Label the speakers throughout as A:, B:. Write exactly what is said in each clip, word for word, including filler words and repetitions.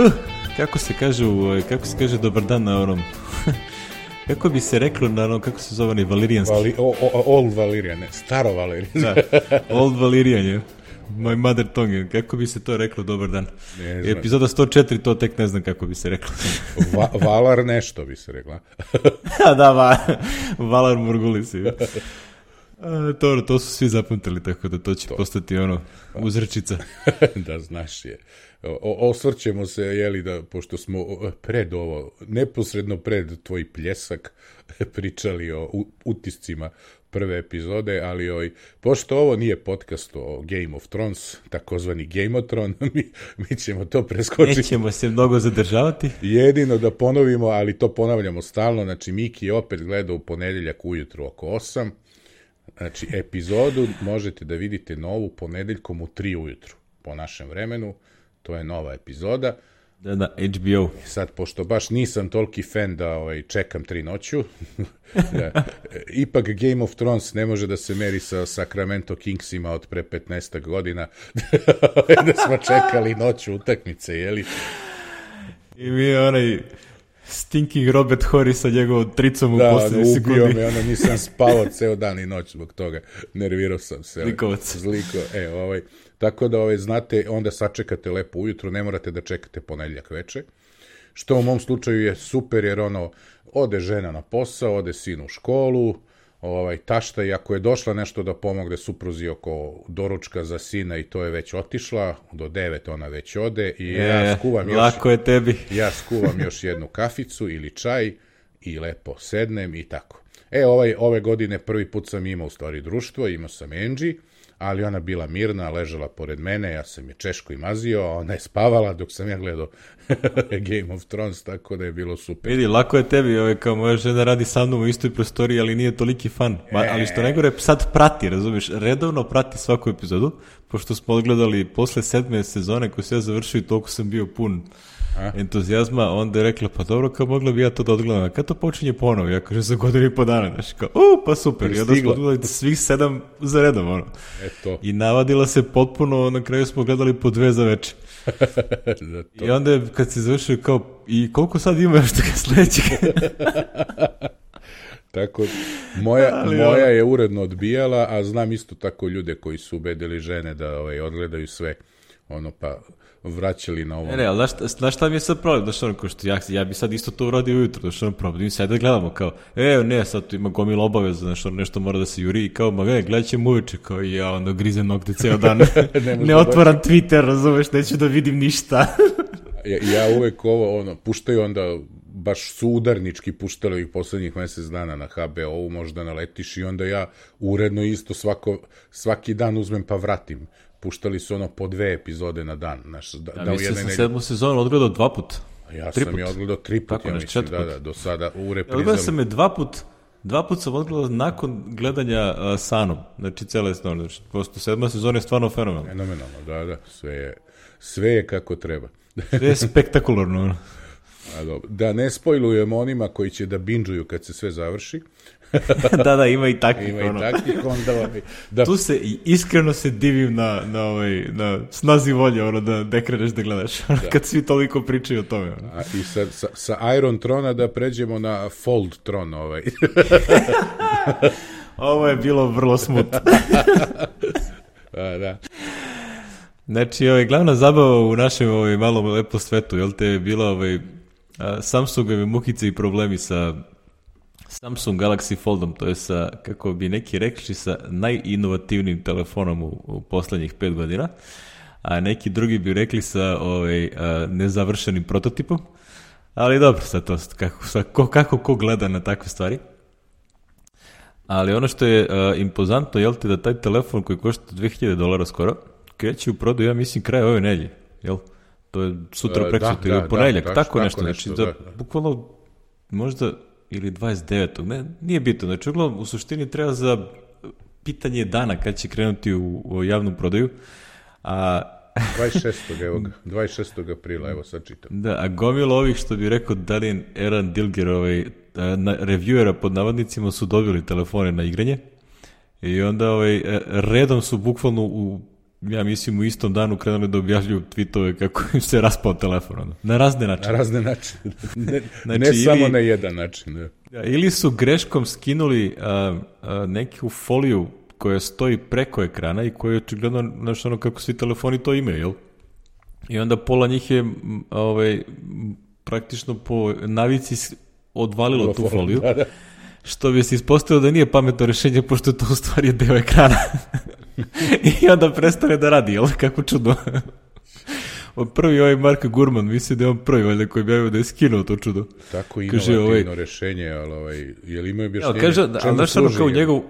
A: Uh, kako se kaže, u, kako se kaže dobar dan na onom... Kako bi se reklo na onom, kako se zove onaj valirijanski?
B: Vali, o, o, old Valirian, ne, staro Valirian.
A: Da, old Valirian je. My mother tongue, kako bi se to reklo, dobar dan. Epizoda sto četiri, to tek ne znam kako bi se reklo.
B: Va, Valar nešto bi se rekla.
A: Da, va, Valar Morgulisi. To, to su svi zapamtili, tako da to će to. postati ono, uzrečica.
B: Da, znaš je. O, osvrćemo se, jeli, da, pošto smo pred ovo, neposredno pred tvoj pljesak, pričali o utiscima prve epizode, ali oj, pošto ovo nije podcast o Game of Thrones, takozvani Gameotron, mi, mi ćemo to preskočiti.
A: Nećemo se mnogo zadržavati.
B: Jedino da ponovimo, ali to ponavljamo stalno, znači Miki je opet gledao u ponedeljak ujutru oko osam, znači epizodu možete da vidite novu ponedeljkom u tri ujutru, po našem vremenu, to je nova epizoda.
A: Da, da, H B O.
B: Sad, pošto baš nisam toliki fan da ovaj, čekam tri noću, da, ipak Game of Thrones ne može da se meri sa Sacramento Kingsima od pre petnaest godina, da smo čekali noću utakmice, jeli?
A: I mi je onaj stinking Robert Horry sa njegovom tricom u
B: da,
A: posljednji
B: sekundi. Da, ubio
A: sekundi.
B: me, ono, nisam spavao ceo dan i noć zbog toga, nervirao sam se.
A: Zlikovac.
B: Zliko, e, ovaj... Tako da, ovaj, znate, onda sačekate lepo ujutro, ne morate da čekate ponedjeljak veče, što u mom slučaju je super, jer ono, ode žena na posao, ode sin u školu, ovaj, tašta, i ako je došla nešto da pomogne supruzi oko doručka za sina i to je već otišla, do devet ona već ode i
A: e,
B: ja skuvam još...
A: Lako je tebi.
B: Ja skuvam još jednu kaficu ili čaj i lepo sednem i tako. E, ovaj, ove godine prvi put sam imao u stvari društvo, imao sam Angie, ali ona bila mirna, ležala pored mene, ja sam je češko i mazio, a ona je spavala dok sam ja gledao Game of Thrones, tako da je bilo super.
A: Vidi, lako je tebi, ovaj, kao moja žena radi sa mnom u istoj prostoriji, ali nije toliki fan. Ma, ali što najgore, sad prati, razumiješ, redovno prati svaku epizodu, pošto smo odgledali posle sedme sezone koju se ja završio i toliko sam bio pun a? entuzijazma, onda je rekla, pa dobro, kao mogla bi ja to da odgledam, kada to počinje ponovo, ja kažem za godinu i po dana, znaš, kao, u, pa super, i onda smo odgledali svih sedam za redom, ono.
B: Eto.
A: I navadila se potpuno, na kraju smo gledali po dve za večer. I onda je, kad se završio, kao, i koliko sad ima još toga sledećeg?
B: Tako, moja, ali, moja je uredno odbijala, a znam isto tako ljude koji su ubedili žene da ovaj, odgledaju sve, ono, pa vraćali na ovo.
A: Ne, ne, ali znaš, znaš šta mi je sad problem? Znaš, ono, ko što ja, ja bi sad isto to uradio ujutro, znaš, ono, problem, mi sad da gledamo, kao, e, ne, sad tu ima gomila obaveza, znaš, ono, nešto mora da se juri, i kao, ma, ne, gledat ćemo uveče, kao, i ja, ono, grizem nokte ceo dan, ne, ne otvaram doći. Twitter, razumeš, neću da vidim ništa.
B: ja, ja uvek ovo, ono, puštaju onda, baš su udarnički puštali ovih poslednjih mesec dana na H B O-u, možda naletiš i onda ja uredno isto svako, svaki dan uzmem pa vratim. Puštali su ono po dve epizode na dan. Znaš, da,
A: ja
B: da
A: mislim sam
B: nelj...
A: sedmu sezonu odgledao dva put.
B: Ja
A: tri
B: sam
A: put.
B: je odgledao tri put, ja mislim, da, da, do sada u reprizama.
A: Odgledao sam je dva put, dva put sam odgledao nakon gledanja uh, Sanom, znači cele snove, znači, posto sedma sezona je stvarno fenomenalno.
B: Fenomenalno, da, da, sve je, sve je kako treba.
A: Sve je spektakularno.
B: A dobro. Da ne spojlujemo onima koji će da binđuju kad se sve završi.
A: da, da, ima i takvih.
B: Ima
A: ono.
B: i takvih, onda... Da...
A: Tu se, iskreno se divim na, na, ovaj, na snazi volje, ono, da ne kreneš da gledaš, da. Kad svi toliko pričaju o tome. Ono.
B: A, i sa, sa, sa Iron Trona da pređemo na Fold Tron, ovaj.
A: Ovo je bilo vrlo smut.
B: A, da.
A: Znači, ovaj, glavna zabava u našem ovaj, malom lepo svetu, jel te je bila ovaj, Samsungove mukice i problemi sa Samsung Galaxy Foldom, to je sa, kako bi neki rekli, sa najinovativnijim telefonom u, u poslednjih pet godina, a neki drugi bi rekli sa ovaj, a, nezavršenim prototipom, ali dobro, sad to, kako, sad, ko, kako ko gleda na takve stvari. Ali ono što je a, impozantno, jel te, da taj telefon koji košta dve hiljade dolara skoro, kreće u prodaju, ja mislim, kraj ove nedjelje, jel? To je sutra
B: e,
A: prekstra,
B: da,
A: ili
B: da,
A: ponedjeljak,
B: da,
A: tako,
B: tako
A: nešto,
B: nešto,
A: znači,
B: da,
A: da,
B: da.
A: bukvalno, možda, ili dvadeset devetog ne, nije bitno, znači, uglavnom, u suštini treba za pitanje dana kad će krenuti u, u javnu prodaju, a...
B: dvadeset šestog evo ga, dvadeset šestog aprila, evo sad čitam.
A: Da, a gomilo ovih, što bi rekao Dalian Eran Dilger, ovaj, na, reviewera pod navodnicima su dobili telefone na igranje i onda ovaj, redom su bukvalno u ja mislim, u istom danu krenuli da objavljuju tweetove kako im se raspao telefon. Ono. Na razne načine.
B: Na razne načine. Ne,
A: znači,
B: ne
A: ili,
B: samo na jedan način.
A: Da. Ili su greškom skinuli a, a, neku foliju koja stoji preko ekrana i koja je očigledno, znaš, ono kako svi telefoni to imaju, jel? I onda pola njih je ovaj, praktično po navici odvalilo tu foliju, da, da. Što bi se ispostavilo da nije pametno rešenje, pošto to u stvari je deo ekrana. I onda prestane da radi, jel? Kako čudno. Od prvi ovaj Mark Gurman, mislim da je on prvi valjda koji bi javio da je skinuo to čudo.
B: Tako inovativno ovaj, rešenje, ali ovaj, je li imaju objašnjenje?
A: Kaže, ali znaš ono kao njegov...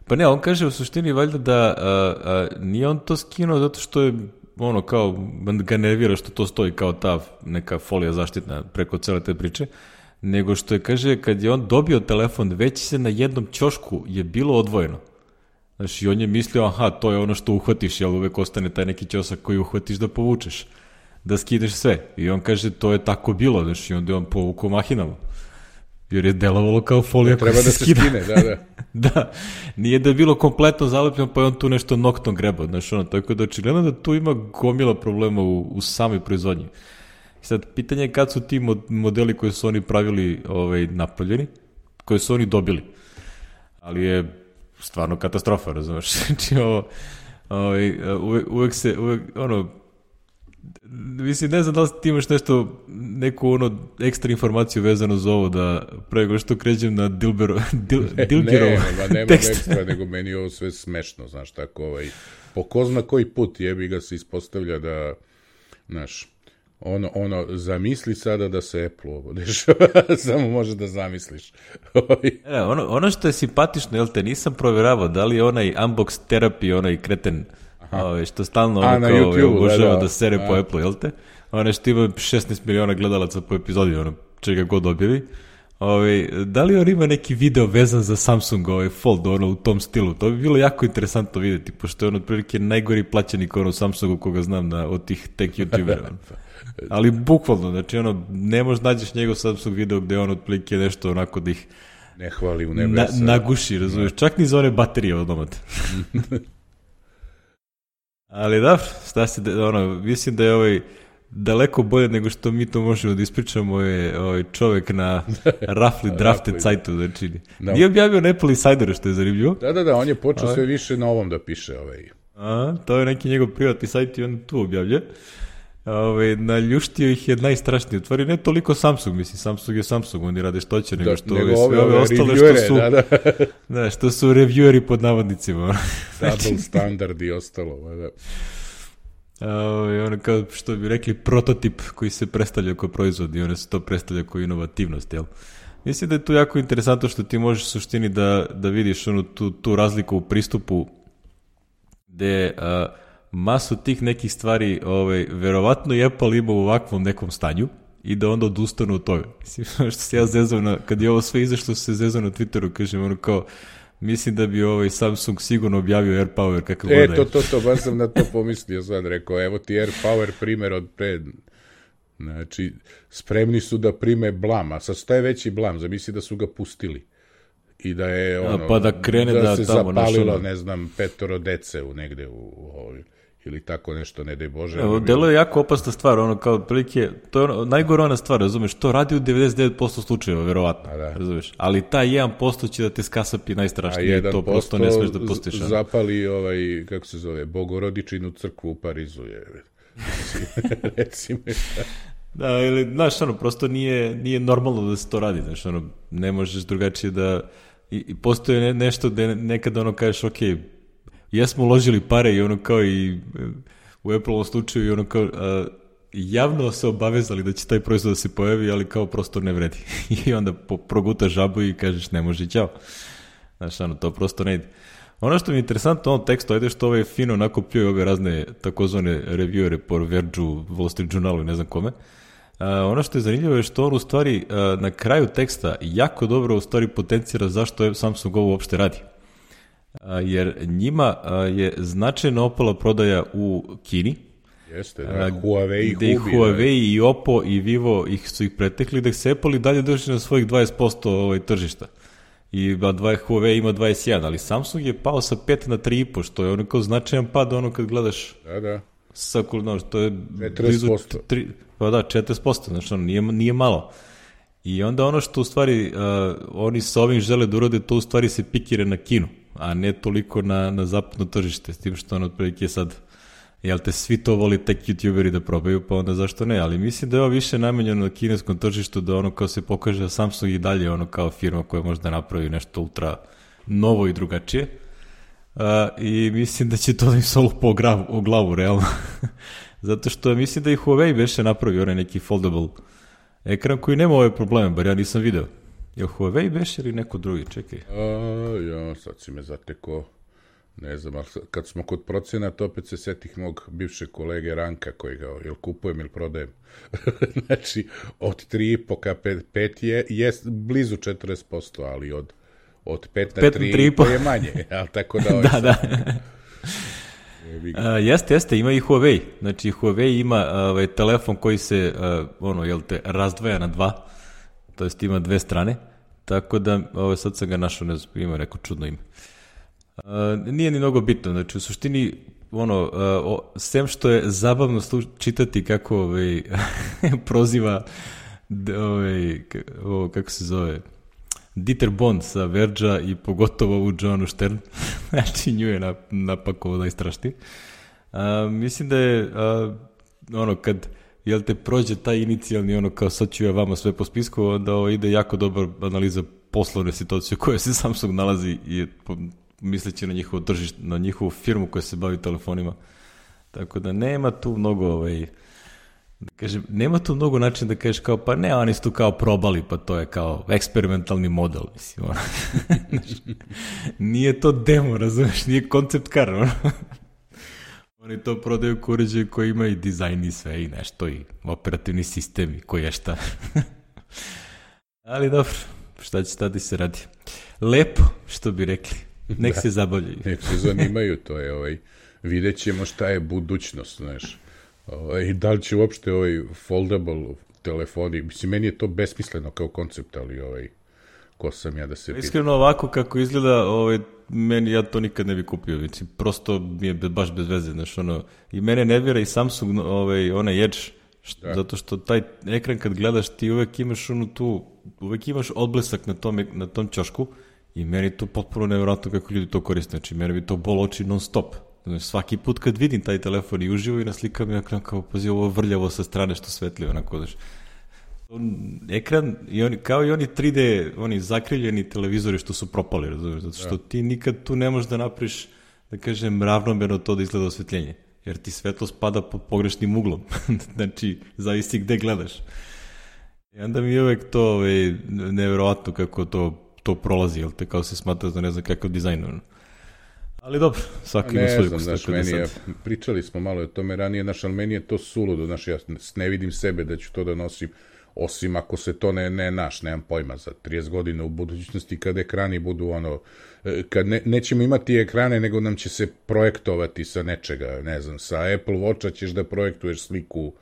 A: Pa ne, on kaže u suštini valjda da a, a, nije on to skinuo zato što je ono kao, ga nervira što to stoji kao ta neka folija zaštitna preko cele te priče, nego što je, kaže, kad je on dobio telefon, već se na jednom ćošku je bilo odvojeno. Znači, on je mislio, aha, to je ono što uhvatiš, jel uvek ostane taj neki ćosak koji uhvatiš da povučeš, da skideš sve. I on kaže, to je tako bilo, znači, onda je on povukao mahinama. Jer je delovalo kao folija koja se skida.
B: Treba da se skine, da, da.
A: Da, nije da je bilo kompletno zalepljeno, pa je on tu nešto noktom grebao, znači ono, tako da očigledno da tu ima gomila problema u, u samoj proizvodnji. Sad, pitanje je kad su ti modeli koje su oni pravili ovaj, napravljeni, koje su oni dobili. Ali je stvarno katastrofa, razumeš? Znači, ovo, ovaj, uvek, uvek se, uvek, ono, mislim, ne znam da li ti imaš nešto, neku ono ekstra informaciju vezano za ovo, da prego što kređem na Dilbero, Dil, Dilgerov
B: ne, ne, nema ekstra, nego meni ovo sve smešno, znaš, tako, ovaj, po ko zna koji put jebi ga se ispostavlja da, znaš, ono, ono, zamisli sada da se Apple ovo dešava, samo može da zamisliš.
A: e, ono, ono što je simpatično, jel te, nisam provjeravao da li je onaj unbox therapy, onaj kreten, Ove, što stalno ono kao obožava da, da. da sere a. po Apple, jel te? Ono što ima šesnaest miliona gledalaca po epizodi, ono, čega god objavi. Ove, da li on ima neki video vezan za Samsung, ovaj Fold, ono, u tom stilu? To bi bilo jako interesantno vidjeti, pošto je on otprilike najgori plaćenik ono Samsungu koga znam na, od tih tech youtubera. Ono. Ali bukvalno, znači ono, ne možeš nađeš njegov Samsung video gde on otprilike nešto onako da ih
B: ne hvali u nebesa.
A: Na, naguši, razumiješ, čak ni za one baterije od domata. Ali da, šta se, ono, mislim da je ovaj daleko bolje nego što mi to možemo da ispričamo je ovaj čovek na Roughly Drafted sajtu, znači no. Nije objavio na Apple Insideru, što je zanimljivo.
B: Da, da, da, on je počeo sve više na ovom da piše. Ovaj.
A: A, to je neki njegov privatni sajt i on tu objavlja. Ove, naljuštio ih je najstrašnije. U stvari ne toliko Samsung, mislim, Samsung je Samsung, oni rade što će, nego što ove, sve ove ostale što su,
B: da, da.
A: Da, što su revieweri pod navodnicima.
B: Double standard i ostalo, da.
A: Ove, ono kao što bi rekli prototip koji se predstavlja kao proizvod i one se to predstavlja kao inovativnost, jel? Mislim da je tu jako interesantno što ti možeš u suštini da, da vidiš onu, tu, tu razliku u pristupu gde a, masu tih nekih stvari, ovaj, verovatno i Apple ima u ovakvom nekom stanju i da onda odustanu od toga. Mislim, što se ja zezao na, kad je ovo sve izašlo, se zezao na Twitteru, kažem, ono kao, mislim da bi ovaj Samsung sigurno objavio AirPower kakav god.
B: E, to, to, to, baš sam na to pomislio sad, rekao, evo ti AirPower primer od pred, znači, spremni su da prime blam, a sad šta je veći blam, zamisli da su ga pustili. I da je ono,
A: a, pa da krene da,
B: da se
A: tamo
B: zapalilo,
A: našo,
B: ne znam, petoro dece u negde u, u, u ili tako nešto, ne daj Bože.
A: Evo, delo je jako opasna stvar, ono kao prilike, to je ono, najgore ona stvar, razumeš, to radi u devedeset devet posto slučajeva, verovatno, da. Razumeš, ali taj jedan posto će da te skasapi najstrašnije, to prosto ne smeš da pustiš.
B: A zapali, ovaj, kako se zove, Bogorodičinu crkvu u Parizu, je, recimo.
A: Da, ili, znaš, ono, prosto nije, nije normalno da se to radi, znaš, ono, ne možeš drugačije da, i, i postoje ne, nešto da nekada ono kažeš, ok, jesmo uložili pare i ono kao i u Apple-ovom slučaju i ono kao a, javno se obavezali da će taj proizvod da se pojavi, ali kao prosto ne vredi. I onda po, progutaš žabu i kažeš ne može, ćao. Znaš, ono, to prosto ne ide. Ono što mi je interesantno u ovom tekstu, ajde što ove fino onako pljuje ove razne takozvane reviewere po Vergeu, Wall Street Journalu i ne znam kome. Uh, ono što je zanimljivo je što on u stvari uh, na kraju teksta jako dobro u stvari potencira zašto Samsung ovo uopšte radi. Uh, jer njima uh, je značajno opala prodaja u Kini.
B: Jeste, da, uh, Huawei ih
A: gde i Huawei i Oppo i Vivo ih su ih pretekli, da se Apple i dalje drži na svojih dvadeset posto ovaj, tržišta. i Huawei ima dvadeset jedan, ali Samsung je pao sa pet na tri i po, što je ono kao značajan pad, ono kad gledaš
B: da, da.
A: sa no, to je
B: četrdeset posto.
A: Blizu, pa da, četrdeset posto, znači ono, nije, nije malo. I onda ono što u stvari uh, oni sa ovim žele da urade, to u stvari se pikire na Kinu, a ne toliko na, na zapadno tržište, s tim što ono otprilike sad, jel te, svi to voli tek youtuberi da probaju, pa onda zašto ne, ali mislim da je ovo više namenjeno na kineskom tržištu, da ono kao se pokaže da Samsung i dalje ono kao firma koja možda napravi nešto ultra novo i drugačije. Uh, i mislim da će to da im se olupa o, glavu, o glavu, realno. Zato što mislim da i Huawei beše napravi onaj neki foldable ekran koji nema ove probleme, bar ja nisam video. Je Huawei beše ili neko drugi? Čekaj.
B: A, ja, sad si me zateko, ne znam, ali kad smo kod procenata, opet se setih mog bivšeg kolege Ranka, koji ga, jel kupujem ili prodajem. Znači, od tri i po ka pet je, je blizu četrdeset posto, ali od od pet na tri i po je manje, ali tako da...
A: da, da. Uh, jeste, jeste, ima i Huawei. Znači, Huawei ima ovaj, telefon koji se, uh, ono, jel te, razdvaja na dva, to jest ima dve strane, tako da, ovaj, sad sam ga našao, ne znam, ima neko čudno ime. Uh, nije ni mnogo bitno, znači, u suštini, ono, uh, o, sem što je zabavno sluš, čitati kako, ovaj, proziva, ovaj, o, kako se zove, Dieter Bond sa Verđa i pogotovo u Joanu Stern, znači nju je napakovao najstrašnije. Mislim da je, a, ono, kad, jel te, prođe taj inicijalni, ono, kao sad ću ja vama sve po spisku, onda ovo ide jako dobar analiza poslovne situacije u kojoj se Samsung nalazi i misleći na njihovo tržište, na njihovu firmu koja se bavi telefonima. Tako da nema tu mnogo, ovaj, kažem, nema tu mnogo načina da kažeš kao, pa ne, oni su tu kao probali, pa to je kao eksperimentalni model, mislim, ono. Nije to demo, razumeš, nije koncept car, ono. Oni to prodaju ko uređaj koji ima i dizajn i sve i nešto, i operativni sistem i koji je šta. Ali dobro, šta će tada se radi. Lepo, što bi rekli, nek da se zabavljaju.
B: Nek se zanimaju, to je, ovaj, vidjet ćemo šta je budućnost, znaš. I da li će uopšte ovaj foldable telefoni, mislim, meni je to besmisleno kao koncept, ali ovaj, ko sam ja da se...
A: Iskreno ovako kako izgleda, ovaj, meni, ja to nikad ne bi kupio, mislim, prosto mi je baš bez veze, znaš, ono, i mene nervira i Samsung, ovaj, onaj Edge, što, zato što taj ekran kad gledaš, ti uvek imaš onu tu, uvek imaš odblesak na tom, na tom ćošku, i meni je to potpuno nevjerojatno kako ljudi to koriste, znači, meni bi to bol oči non stop. Svaki put kad vidim taj telefon i uživo i na slikam je kao, pazi, ovo vrljavo sa strane što svetli, onako, daš. Ekran, i oni, kao i oni tri D, oni zakriljeni televizori što su propali, razumiješ, zato što ti nikad tu ne možeš da napriš, da kažem, ravnomerno to da izgleda osvetljenje, jer ti svetlo spada pod pogrešnim uglom, znači, zavisi gde gledaš. I onda mi je uvek to ovaj, nevjerovatno kako to, to prolazi, jel te, kao se smatra da ne znam kakav dizajn, ono. Ali dobro, svaki ima svoju kustu. Ne znam,
B: meni je, pričali smo malo o tome ranije, naš, ali meni je to suludo, znaš, ja ne vidim sebe da ću to da nosim, osim ako se to ne, ne naš, nemam pojma, za trideset godina u budućnosti, kad ekrani budu ono, kad ne, nećemo imati ekrane, nego nam će se projektovati sa nečega, ne znam, sa Apple Watcha ćeš da projektuješ sliku,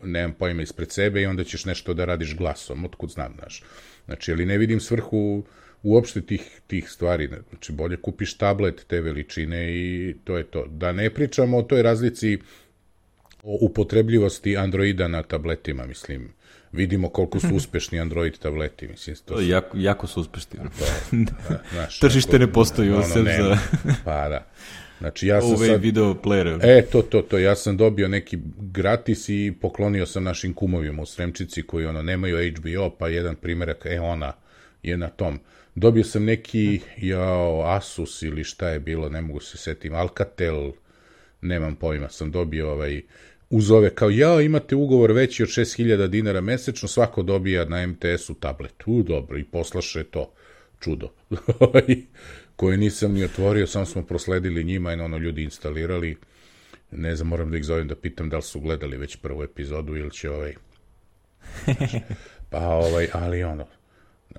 B: nemam pojma, ispred sebe i onda ćeš nešto da radiš glasom, otkud znam, znaš. Znači, ali ne vidim svrhu uopšte tih, tih stvari, znači bolje kupiš tablet te veličine i to je to. Da ne pričamo o toj razlici o upotrebljivosti Androida na tabletima, mislim, vidimo koliko su uspešni Android tableti, mislim. To
A: su... jako, jako su uspešni.
B: To, da, znaš,
A: tržište ne postoji ono, osim za...
B: Pa da. Znači, ja sam
A: Ove
B: sad...
A: video player.
B: E, to, to, to, ja sam dobio neki gratis i poklonio sam našim kumovima u Sremčici koji ono nemaju H B O, pa jedan primjerak, e, ona je na tom. Dobio sam neki, jao, Asus ili šta je bilo, ne mogu se setim, Alcatel, nemam pojma, sam dobio ovaj, uz ove, kao, jao, imate ugovor veći od šest hiljada dinara mesečno, svako dobija na M T S-u tablet. U, dobro, i poslaše to, čudo, koje nisam ni otvorio, samo smo prosledili njima i ono ljudi instalirali. Ne znam, moram da ih zovem da pitam da li su gledali već prvu epizodu ili će ovaj... Pa ovaj, ali ono,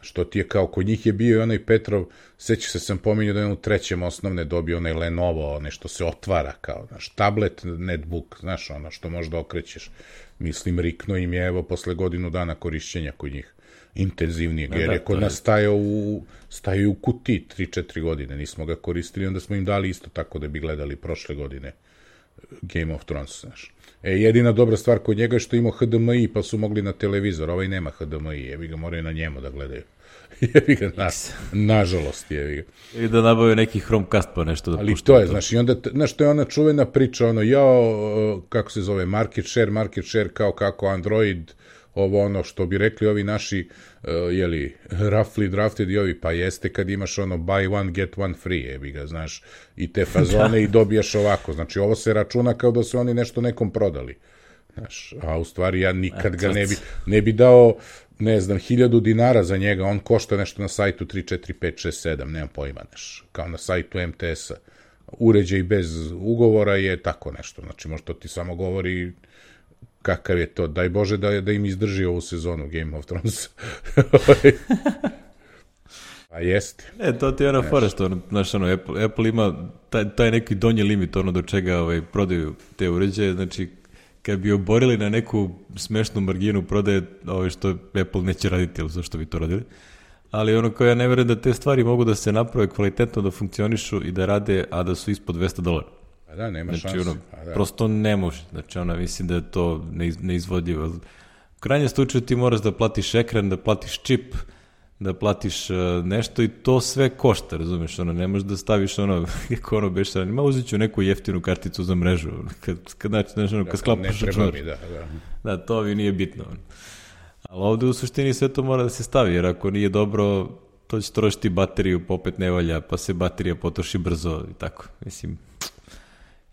B: što ti je kao, kod njih je bio i onaj Petrov, seća se sam pominjao da je u trećem osnovne dobio onaj Lenovo, onaj što se otvara kao, znaš, tablet, netbook, znaš, ono što možda okrećeš. Mislim, rikno im je, evo, posle godinu dana korišćenja kod njih. intenzivnijeg, jer je kod nas stajao u, stajao u kutiji tri četiri godine, nismo ga koristili, onda smo im dali isto tako da bi gledali prošle godine Game of Thrones, znaš. E, jedina dobra stvar kod njega je što imao H D M I, pa su mogli na televizor, ovaj nema H D M I, jebi ga, moraju na njemu da gledaju. Jebi ga, na, nažalost, jebi ga.
A: Ili da nabavio neki Chromecast pa nešto da
B: ali
A: pušta.
B: Ali to je, znaš, i onda, znaš, to je ona čuvena priča, ono, jao, kako se zove, market share, market share, kao kako Android, ovo ono što bi rekli ovi naši, uh, jeli, roughly drafted i ovi, pa jeste kad imaš ono buy one, get one free, jebi ga, znaš, i te fazone i dobijaš ovako, znači ovo se računa kao da su oni nešto nekom prodali, znaš, a u stvari ja nikad ga ne bi, ne bi dao, ne znam, hiljadu dinara za njega, on košta nešto na sajtu tri, četiri, pet, šest, sedam, nemam pojma, znaš, kao na sajtu M T S-a, uređaj bez ugovora je tako nešto, znači možda ti samo govori kakav je to, daj Bože da, da im izdrži ovu sezonu Game of Thrones. A jeste.
A: E, to ti je ono fora što, ono, znaš, ono, Apple, Apple ima taj, taj neki donji limit, ono, do čega ovaj, prodaju te uređaje, znači, kad bi oborili na neku smešnu marginu prodaje, ovaj, što Apple neće raditi, ili zašto bi to radili, ali ono, kao ja ne verujem da te stvari mogu da se naprave kvalitetno, da funkcionišu i da rade, a da su ispod dvesta dolara.
B: A da, nema
A: znači,
B: šanse.
A: Ono,
B: da.
A: Prosto ne može. Znači, ona, mislim da je to neiz, neizvodljivo. U krajnjem slučaju ti moraš da platiš ekran, da platiš čip, da platiš uh, nešto i to sve košta, razumeš? Ono, ne možeš da staviš ono, kako ono beše, ma uzet ću neku jeftinu karticu za mrežu. Kad, kad, znači, znači, ono, kad sklapaš računar.
B: Da, da.
A: Da, to mi nije bitno. Ono. Ali ovde u suštini sve to mora da se stavi, jer ako nije dobro, to će trošiti bateriju, pa opet ne valja, pa se baterija potroši brzo i tako. Mislim,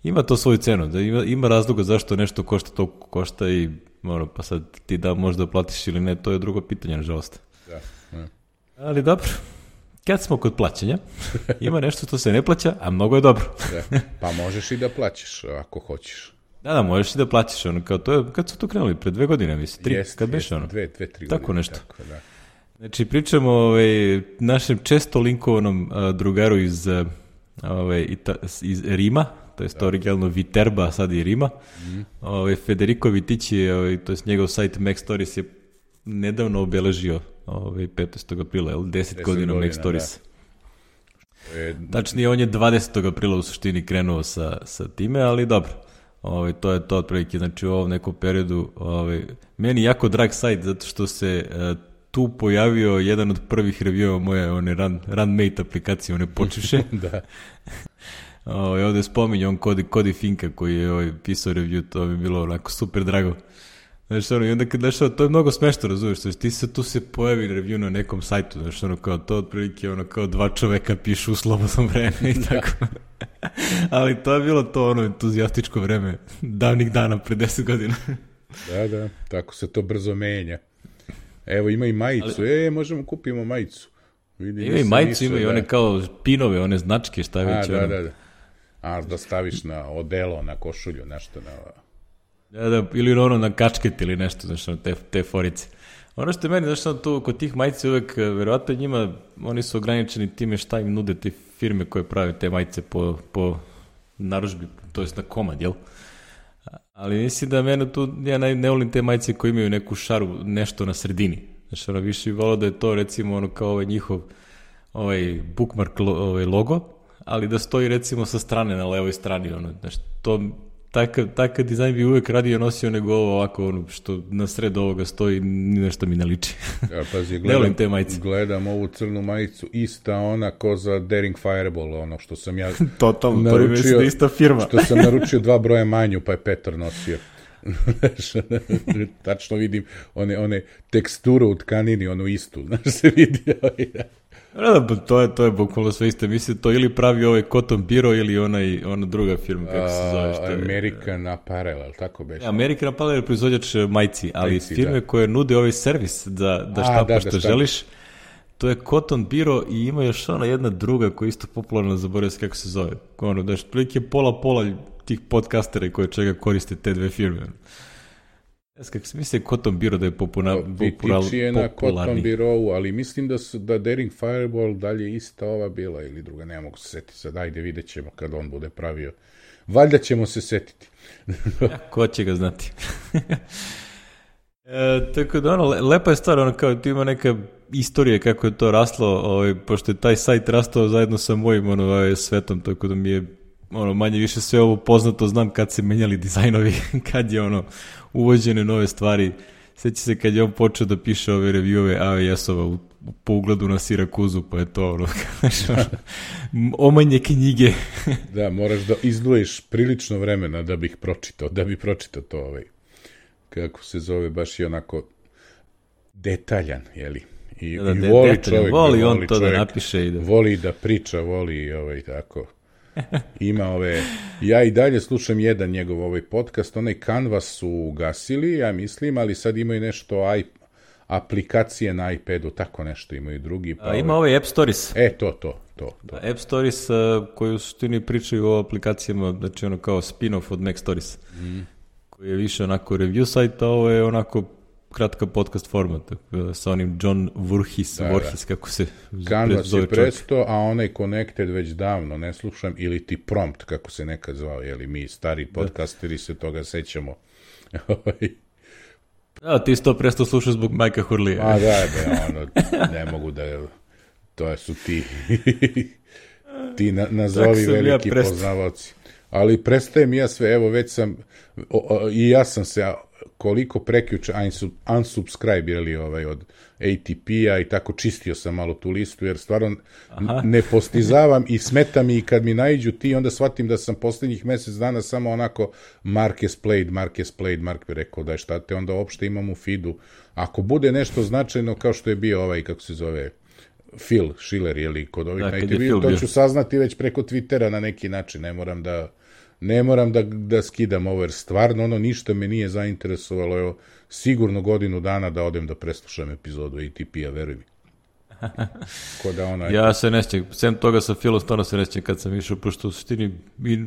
A: ima to svoju cenu, da ima, ima razloga zašto nešto košta toliko košta i ono, pa sad ti da možda platiš ili ne, to je drugo pitanje, nažalost.
B: Da, ne.
A: Ali dobro, kad smo kod plaćanja, ima nešto što se ne plaća, a mnogo je dobro.
B: Da. Pa možeš i da plaćaš ako hoćeš.
A: Da, da, možeš i da plaćaš, ono, kao to je, kad su to krenuli, pre dve godine, mislim, tri,
B: jest,
A: kad
B: jest,
A: beše ono.
B: Dve, dve, tri
A: tako
B: godine.
A: Nešto.
B: Tako, da.
A: Znači, pričamo o ovaj, našem često linkovanom a, drugaru iz, a, ovaj, ita, iz Rima, to je to originalno Viterba, a sad i Rima. Mm. Ovaj, Federico Vitici, ovaj, to je njegov sajt Mac Stories je nedavno obeležio ovaj, petnaestog aprila, jel, deset godina Mac Stories.
B: Je...
A: Tačnije, on je dvadesetog aprila u suštini krenuo sa, sa time, ali dobro. Ovaj, to je to otprilike, znači u ovom nekom periodu ovaj, meni jako drag sajt, zato što se uh, tu pojavio jedan od prvih reviewa moje one run, Runmate aplikacije, one počeše.
B: Da.
A: Ovaj, ovde spominje on Kodi, Kodi Finka koji je ovaj, pisao review, to bi bilo onako super drago. Znači, ono, i onda kad nešto, to je mnogo smešno, razumiješ, znači, ti se tu se pojavi review na nekom sajtu, znači, ono, kao to otprilike, ono, kao dva čoveka pišu u slobodno vreme i tako. Ali to je bilo to, ono, entuzijastičko vreme, davnih dana, pre deset godina.
B: Da, da, tako se to brzo menja. Evo, ima i majicu, ali... e, možemo kupimo majicu.
A: Vidi, ima i majicu, ima i one kao pinove, one značke, šta je već.
B: A, da,
A: ono.
B: da, da. A, da staviš na odelo, na košulju, nešto na...
A: Da, da, ili ono na kačket ili nešto, znači, te, te forice. Ono što je meni, znači, tu kod tih majice uvek, verovatno njima, oni su ograničeni time šta im nude te firme koje prave te majice po, po narudžbi, to jest na komad, jel? Ali mislim da mene tu, ja ne, ne volim te majice koje imaju neku šaru, nešto na sredini. Znači, ono više bi volao da je to, recimo, ono kao ovaj njihov ovaj bookmark lo, ovaj logo, ali da stoji, recimo, sa strane, na levoj strani, ono, znači, to... Takav, takav dizajn bi uvek radio nosio nego ovo ovako, ono, što na sred ovoga stoji, ni nešto mi ne liči.
B: Ja, pazi, gledam, te majice. Gledam ovu crnu majicu, ista ona ko za Daring Fireball, ono što sam ja
A: Totalno,
B: naručio,
A: to je ista firma.
B: Što sam naručio dva broja manju, pa je Petar nosio. Tačno vidim one, one teksturu u tkanini, onu istu, znaš se vidio.
A: Da, da, to je, to je bukvalno sve isto. Mislim, to ili pravi ovaj Cotton Bureau ili onaj, ona druga firma, kako se zove. Što je,
B: American Apparel, ali tako beše?
A: American Apparel je proizvođač majci, ali
B: majci,
A: firme
B: da.
A: koje nude ovaj servis da, da štapaš što
B: šta.
A: želiš, to je Cotton Bureau i ima još ona jedna druga koja je isto popularna, zaboravio se kako se zove. Ono, da je prilike pola-pola tih podcastera koje čega koriste te dve firme. Ja kako se misli Cotton Bureau da je popuna, popular,
B: Vitici je na Cotton Bureau, ali mislim da, su, da Daring Fireball dalje ista ova bila ili druga, ne mogu se setiti sad, ajde vidjet ćemo kad on bude pravio. Valjda ćemo se setiti.
A: Ja, ko će ga znati. E, tako da ono, lepa je stvar, ono kao tu ima neka istorija kako je to raslo, ovaj, pošto je taj sajt rastao zajedno sa mojim ono, ovaj, svetom, tako da mi je ono, manje više sve ovo poznato, znam kad se menjali dizajnovi, kad je ono uvođene nove stvari. Sjeća se kad je on počeo da piše ove review-ove A W S-ova u, po ugledu na Sirakuzu, pa je to ono, ono omanje knjige.
B: Da, moraš da izdvojiš prilično vremena da bih pročitao, da bi pročitao to ovaj, kako se zove, baš i onako detaljan, jeli? I,
A: da,
B: i
A: de,
B: voli
A: detaljan,
B: čovjek,
A: voli
B: da,
A: on
B: voli
A: to
B: čovjek,
A: da napiše i da...
B: Voli da priča, voli ovaj, tako... Ima ove, ja i dalje slušam jedan njegov ovaj podcast, onaj Canvas su ugasili, ja mislim, ali sad imaju nešto i, aplikacije na iPadu, tako nešto imaju drugi. Pa
A: A, ima ovaj App Stories.
B: E, to, to, to. to.
A: App Stories uh, koji u suštini pričaju o aplikacijama, znači ono kao spin-off od Mac Stories, mm. koji je više onako review sajt, a ovo je onako kratka podcast format, sa onim John Voorhees, da, Voorhees da. Kako se
B: Canvas je presto, a onaj Connected već davno ne slušam, ili ti Prompt, kako se nekad zvao, jeli mi stari podcasteri se toga sećamo.
A: Da, ti si to presto slušao zbog Majka Hurlija.
B: A da, da, ono, ne mogu da, to su ti, ti na, nazovi veliki ja poznavaoci. Ali prestajem ja sve, evo već sam, o, o, i ja sam se koliko prekjuče unsubscribe-irali ovaj od A T P-a i tako čistio sam malo tu listu, jer stvarno Aha. ne postizavam i smeta mi i kad mi naiđu ti, onda shvatim da sam posljednjih mjesec dana samo onako Marques played, Marques played, Mark bi rekao da je šta te, onda uopšte imam u feedu. Ako bude nešto značajno kao što je bio ovaj, kako se zove, Phil Schiller, jeli, kod ovih da, na A T P, to ću saznati već preko Twittera na neki način, ne moram da ne moram da, da skidam ovo, jer stvarno ono ništa me nije zainteresovalo, evo, sigurno godinu dana da odem da preslušam epizodu A T P-a, veruj mi. Da ona...
A: Ja se ne sjećam, sem toga sa Philom, stvarno se ne sjećam kad sam išao, pošto u suštini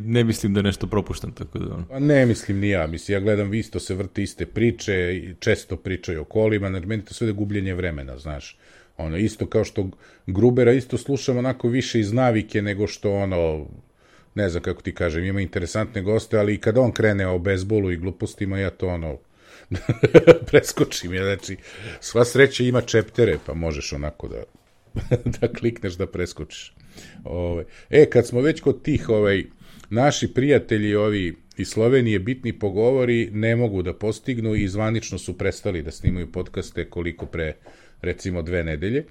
A: ne mislim da je nešto propuštam, tako da...
B: Pa ne mislim ni ja, mislim, ja gledam, vi isto se vrte iste priče, često pričaju o kolima, jer meni to sve da gubljenje vremena, znaš. Ono, isto kao što Grubera isto slušam onako više iz navike nego što ono... ne znam kako ti kažem, ima interesantne goste, ali i kad on krene o bejsbolu i glupostima, ja to ono, preskočim, ja, znači, sva sreća ima čeptere, pa možeš onako da, da klikneš da preskočiš. Ove. E, kad smo već kod tih, ovaj, naši prijatelji ovi iz Slovenije, bitni pogovori, ne mogu da postignu i zvanično su prestali da snimaju podcaste koliko pre, recimo, dve nedelje.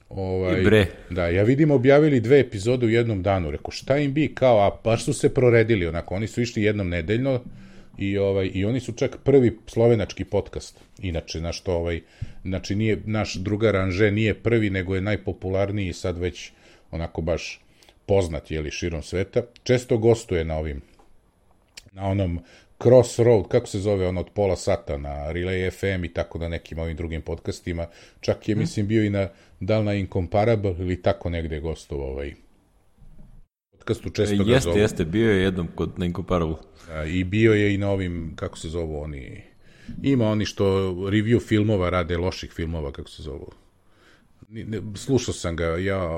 B: Ovaj,
A: bre.
B: Da, ja vidim objavili dve epizode u jednom danu, reko šta im bi kao, a baš su se proredili onako, oni su išli jednom nedeljno i ovaj i oni su čak prvi slovenački podcast. Inače naš to ovaj znači nije naš drugar Anže nije prvi, nego je najpopularniji sad već onako baš poznat je li širom sveta. Često gostuje na ovim na onom Crossroad, kako se zove ono od pola sata na Relay F M i tako na nekim ovim drugim podcastima. Čak je, hmm. mislim, bio i na da li na Incomparable ili tako negde gostovao ovaj podcastu, često ga
A: jeste,
B: zovu.
A: Jeste, bio je jednom kod na Incomparable.
B: A, i bio je i na ovim, kako se zovu oni, ima oni što review filmova rade, loših filmova, kako se zovu. Slušao sam ga, ja,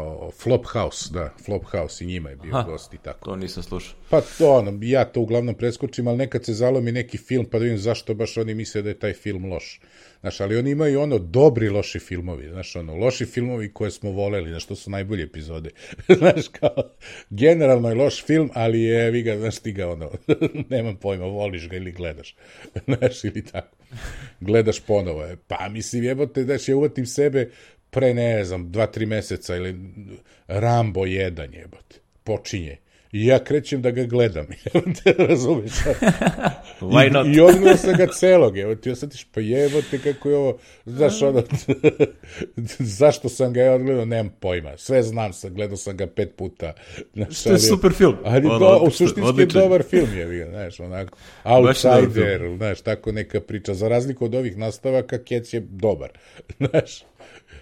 B: Flophouse, da, Flophouse i njima je bio Aha, gost i tako.
A: To nisam slušao.
B: Pa to, ono, ja to uglavnom preskočim, ali nekad se zalomi neki film, pa da vidim zašto baš oni misle da je taj film loš. Znaš, ali oni imaju ono dobri loši filmovi, znaš, ono, loši filmovi koje smo voleli, znaš, to su najbolje epizode. Znaš, kao, generalno je loš film, ali je, vi ga, znaš, ti ga, ono, nemam pojma, voliš ga ili gledaš. Znaš, ili tako. Gledaš ponovo. Pa, mislim, jebote, znaš, ja uvatim sebe pre, ne znam, dva, tri meseca ili Rambo jedan, jebote, počinje. I ja krećem da ga gledam, jebote, razumiješ?
A: Why not?
B: I, i odgledao sam ga celog, jebote, ja sad tiš, pa jebote, kako je ovo, znaš, ono, zašto sam ga ja odgledao, nemam pojma, sve znam sam, gledao sam ga pet puta. Znaš,
A: što je super film.
B: Ali ono, do, u suštinski je dobar film, je, znaš, onako, Outsider, znaš, tako neka priča, za razliku od ovih nastavaka, Kec je dobar, znaš.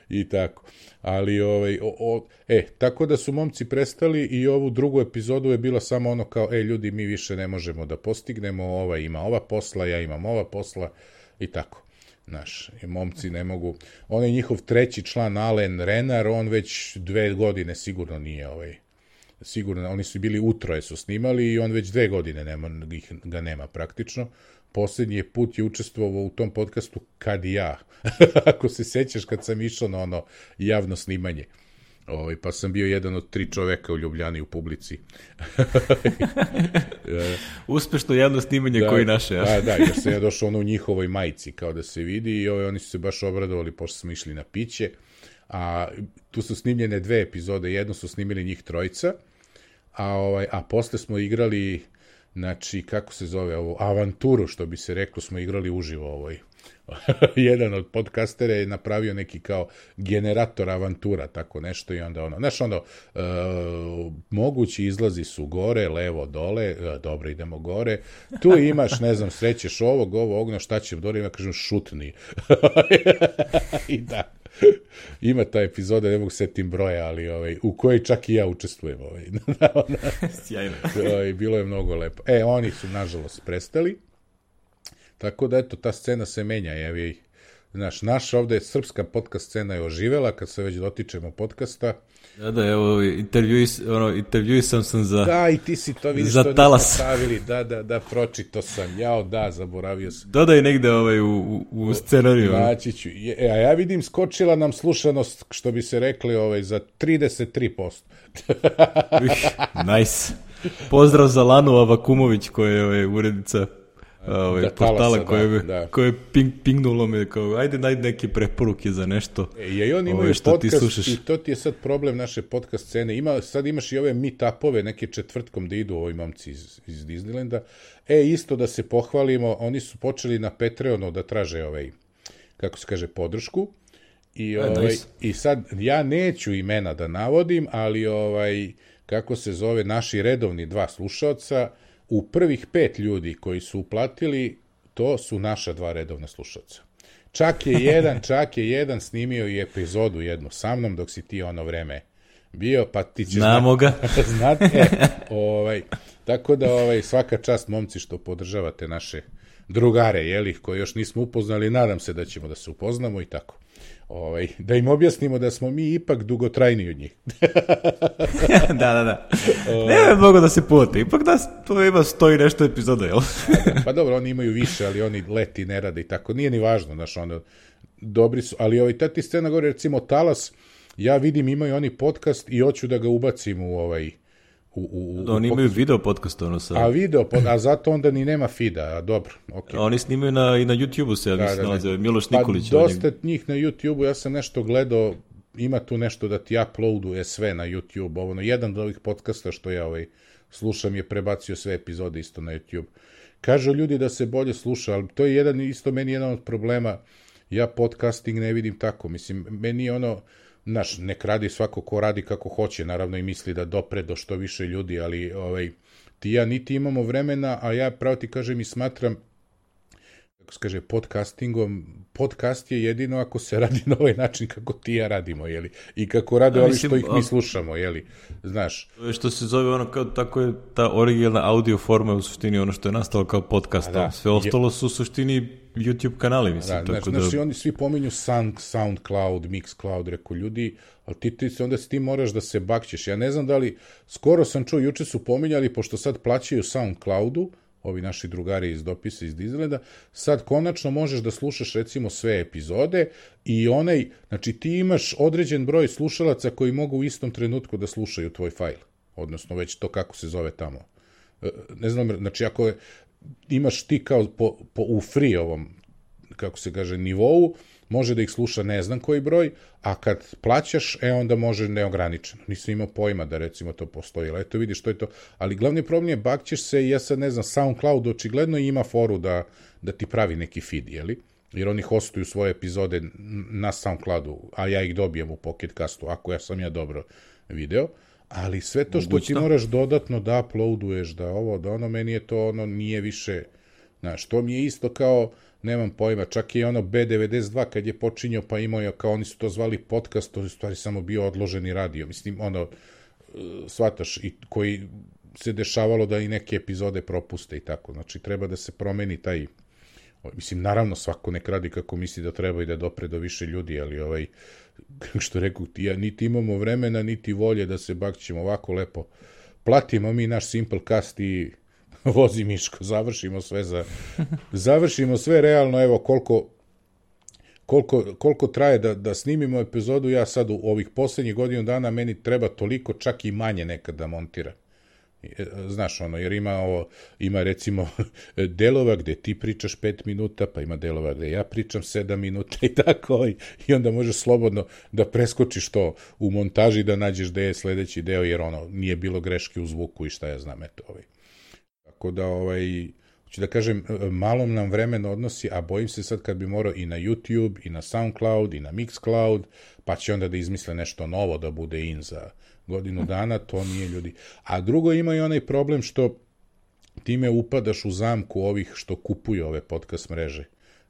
B: I tako. Ali, ovaj, o, o, e, tako da su momci prestali i ovu drugu epizodu je bila samo ono kao, e, ljudi, mi više ne možemo da postignemo, ova ima ova posla, ja imam ova posla i tako. Znaš, i momci ne mogu. On je njihov treći član, Alen Renar, on već dve godine sigurno nije ovaj, sigurno, oni su bili utroje su snimali i on već dve godine nema, ih, ga nema praktično. Posljednji put je učestvovao u tom podcastu Kad i ja. Ako se sećaš kad sam išao na ono javno snimanje. Ovaj, pa sam bio jedan od tri čoveka u Ljubljani u publici.
A: Uspešno javno snimanje da, koji naše. Ja?
B: Da, da, jer sam ja došao ono u njihovoj majici kao da se vidi i ovaj, oni su se baš obradovali pošto smo išli na piće. A tu su snimljene dve epizode, jednu su snimili njih trojica, a, ovaj, a posle smo igrali, znači, kako se zove ovo, avanturu, što bi se reklo, smo igrali uživo ovoj. Jedan od podcastera je napravio neki kao generator avantura, tako nešto i onda ono, znaš ono, e, mogući izlazi su gore, levo, dole, e, dobro idemo gore, tu imaš, ne znam, srećeš ovog, ovo, ogno, šta će dole, ima, kažem, šutni. I da. Ima ta epizoda, ne mogu setim broja, ali ovaj, u kojoj čak i ja učestvujem. Ovaj.
A: Sjajno.
B: Ovaj, bilo je mnogo lepo. E, oni su, nažalost, prestali. Tako da, eto, ta scena se menja. Jevi. Znaš, naša ovde srpska podcast scena je oživela, kad se već dotičemo podcasta.
A: Da, da, evo, intervjuis, ono, intervjuisam sam za
B: Da, i ti si to, vidiš,
A: za
B: to
A: Talas.
B: stavili. Da, da, da, pročito sam. Jao, da, zaboravio sam.
A: Dodaj negde ovaj, u, u, u scenariju.
B: Naći ću. A ja vidim, skočila nam slušanost, što bi se rekli, ovaj, za trideset tri posto.
A: Nice. Pozdrav za Lanu Avakumović, koja je ovaj, urednica ovaj,
B: da,
A: portala
B: Talasa,
A: koje,
B: da, da.
A: koje je ping, pingnulo me kao, ajde najde neke preporuke za nešto.
B: E, i oni imaju podcast i to ti je sad problem naše podcast scene. Ima, sad imaš i ove meet-upove neke četvrtkom da idu ovi momci iz, iz Disneylanda. E, isto da se pohvalimo, oni su počeli na Patreonu da traže ovaj, kako se kaže, podršku. I,
A: e,
B: ovaj,
A: nice.
B: I sad, ja neću imena da navodim, ali ovaj, kako se zove, naši redovni dva slušaoca, u prvih pet ljudi koji su uplatili, to su naša dva redovna slušalca. Čak je jedan, čak je jedan snimio i epizodu jednu sa mnom, dok si ti ono vreme bio, pa ti će
A: Znamo ga.
B: znati. E, ovaj, tako da ovaj, svaka čast momci što podržavate naše drugare, jeli, koje još nismo upoznali, nadam se da ćemo da se upoznamo i tako. Ovaj, da im objasnimo da smo mi ipak dugotrajni od njih.
A: da, da, da. Ne je mogo da se puti. Ipak da to ima sto i nešto epizoda, jel?
B: Pa dobro, oni imaju više, ali oni leti ne rade i tako. Nije ni važno, znaš, ono, dobri su. Ali ovaj, ta ti scena govori, recimo, Talas, ja vidim, imaju oni podcast i hoću da ga ubacim u ovaj... U, u,
A: da, oni
B: u
A: imaju video podcast, ono sad.
B: A video, a zato onda ni nema feeda, a dobro, okej.
A: Okay. Oni snimaju na, i na YouTube-u se, ja da, mislim, nalaze, Miloš Nikolić.
B: Pa dosta njih na YouTube-u, ja sam nešto gledao, ima tu nešto da ti uploaduje sve na YouTube, ovo, no, jedan od ovih podcasta što ja ovaj, slušam je prebacio sve epizode isto na YouTube. Kažu ljudi da se bolje sluša, ali to je jedan, isto meni jedan od problema, ja podcasting ne vidim tako, mislim, meni je ono, znaš, nek radi svako ko radi kako hoće, naravno i misli da dopre do što više ljudi, ali ovaj, ti ja niti imamo vremena, a ja pravo ti kažem i smatram, kako se kaže, podcastingom, podcast je jedino ako se radi na ovaj način kako ti ja radimo, jeli, i kako rade ja, ovi što ih mi slušamo, jeli, znaš.
A: Što se zove ono, kao, tako je ta originalna audio forma u suštini ono što je nastalo kao podcast, da, sve ostalo su u suštini YouTube kanali, mislim.
B: Da,
A: tako
B: znaš,
A: da...
B: znaš, oni svi pominju Sound, SoundCloud, Mixcloud, reko ljudi, ali ti, ti onda ti moraš da se bakćeš. Ja ne znam da li, skoro sam čuo, juče su pominjali, pošto sad plaćaju SoundCloudu, ovi naši drugari iz dopisa iz Disneylanda, sad konačno možeš da slušaš recimo sve epizode i onaj, znači ti imaš određen broj slušalaca koji mogu u istom trenutku da slušaju tvoj fajl, odnosno već to kako se zove tamo. Ne znam, znači ako je, imaš ti kao po, po, u free ovom, kako se kaže, nivou, može da ih sluša ne znam koji broj, a kad plaćaš, e onda može neograničeno. Nisam imao pojma da recimo to postoji, ali eto vidiš što je to. Ali glavni problem je, bakćeš se i ja sad ne znam, SoundCloud očigledno ima foru da, da ti pravi neki feed, jeli? Jer oni hostuju svoje epizode na SoundCloudu, a ja ih dobijem u Pocket Castu, ako ja sam ja dobro video. Ali sve to što ti moraš dodatno da uploaduješ, da ovo, da ono, meni je to ono, nije više, znaš, to mi je isto kao, nemam pojma, čak i ono B devedeset dva kad je počinjao, pa imao je, kao oni su to zvali podcast, to je u stvari samo bio odloženi radio, mislim, ono, shvataš, i koji se dešavalo da i neke epizode propuste i tako, znači treba da se promeni taj, mislim, naravno svako nek radi kako misli da treba i da dopre do više ljudi, ali ovaj, što reku ti, ja, niti imamo vremena, niti volje da se bakćemo ovako lepo. Platimo mi naš Simplecast i vozi Miško, završimo sve za... završimo sve realno, evo koliko... Koliko, koliko traje da, da snimimo epizodu, ja sad u ovih posljednjih godinu dana meni treba toliko, čak i manje nekad da montiram. Znaš, ono, jer ima ovo, ima recimo delova gde ti pričaš pet minuta, pa ima delova gde ja pričam sedam minuta i tako, i, i onda možeš slobodno da preskočiš to u montaži, da nađeš gde je sledeći deo, jer ono, nije bilo greške u zvuku i šta ja znam, eto, ovaj. Tako da, ovaj... Hoću da kažem, malo nam vremena odnosi, a bojim se sad kad bi morao i na YouTube, i na SoundCloud, i na Mixcloud, pa će onda da izmisle nešto novo da bude in za godinu dana, to nije ljudi. A drugo, ima i onaj problem što time upadaš u zamku ovih što kupuju ove podcast mreže.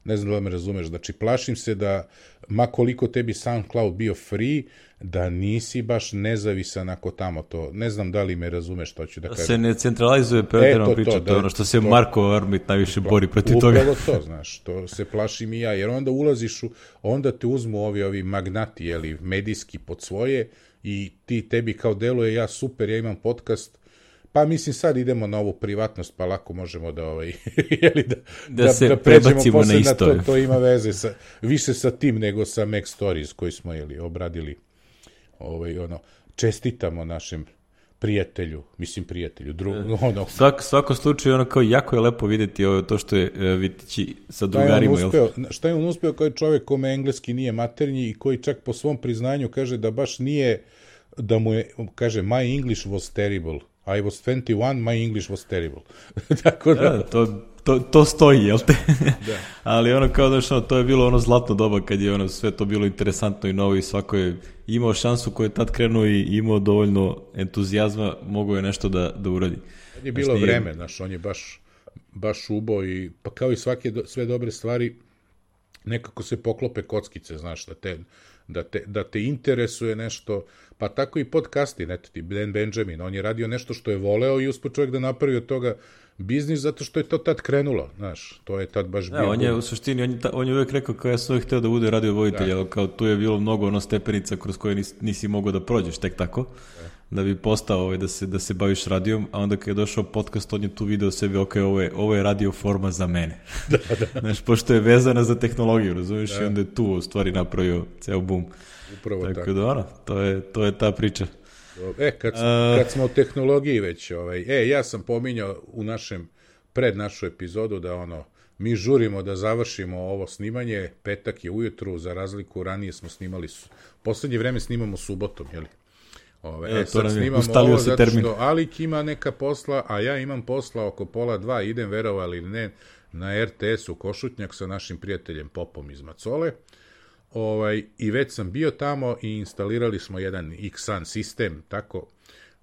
B: Ne znam da me razumeš, znači plašim se da, ma koliko tebi SoundCloud bio free, da nisi baš nezavisan ako tamo to, ne znam da li me razumeš što ću da kažem.
A: Se ne centralizuje pretjerano priča, to, to je ono što se to, Marko Armit najviše bori protiv
B: upravo
A: toga.
B: Upravo to, znaš, to se plašim i ja, jer onda ulaziš u, onda te uzmu ovi, ovi magnati, jeli, medijski pod svoje i ti tebi kao deluje, ja super, ja imam podcast, pa mislim sad idemo na ovu privatnost, pa lako možemo da ovaj jeli da
A: da, da se da prebacimo na isto.
B: To, to ima veze sa više sa tim nego sa Mac Stories koji smo jeli obradili. Ovaj ono čestitamo našem prijatelju, mislim prijatelju, dru, ono.
A: Svak svako slučaj ono kao jako je lepo videti ovo to što je Vitići sa drugarima.
B: Šta je on uspeo, šta je on uspeo kao čovjek kome engleski nije maternji i koji čak po svom priznanju kaže da baš nije, da mu je, kaže my English was terrible. I was twenty-one, my English was terrible. Tako da...
A: da to, to, to stoji, jel te? Da. Ali ono kao da što, to je bilo ono zlatno doba kad je ono sve to bilo interesantno i novo i svako je imao šansu koju je tad krenuo i imao dovoljno entuzijazma, mogao je nešto da, da uradi.
B: Kad je bilo znači, vreme, znaš, on je baš, baš ubo i pa kao i svake do, sve dobre stvari nekako se poklope kockice, znaš, da te, da te, da te interesuje nešto, pa tako i podcasti, ne, ti Dan Benjamin, on je radio nešto što je voleo i uspio čovjek da napravi od toga biznis zato što je to tad krenulo, znaš, to je tad baš bio.
A: Ja, on je u suštini, on je, ta, on je uvijek rekao kao ja sam uvijek hteo da bude radio vojitelj, ali kao tu je bilo mnogo ono stepenica kroz koje nisi, nisi mogao da prođeš tek tako, da, da bi postao ovaj, da, se, da se baviš radijom, a onda kad je došao podcast, on je tu video sebi, ok, ovo je, ovo je radio forma za mene. Da, da. Znaš, pošto je vezana za tehnologiju, razumiješ, da. I onda je tu u stvari napravio ceo boom.
B: Upravo tako.
A: Tako da, ono, to je, to je ta priča.
B: E, kad, kad smo u tehnologiji već, ovaj, e, ja sam pominjao u našem, pred našu epizodu da ono, mi žurimo da završimo ovo snimanje, petak je ujutru, za razliku ranije smo snimali, poslednje vreme snimamo subotom, jeli? Ove, e, e sad snimamo ovo zato termin. Što Alik ima neka posla, a ja imam posla oko pola dva, idem verovali ili ne, na er te es u Košutnjak sa našim prijateljem Popom iz Macole. Ovaj, i već sam bio tamo i instalirali smo jedan X S A N sistem, tako,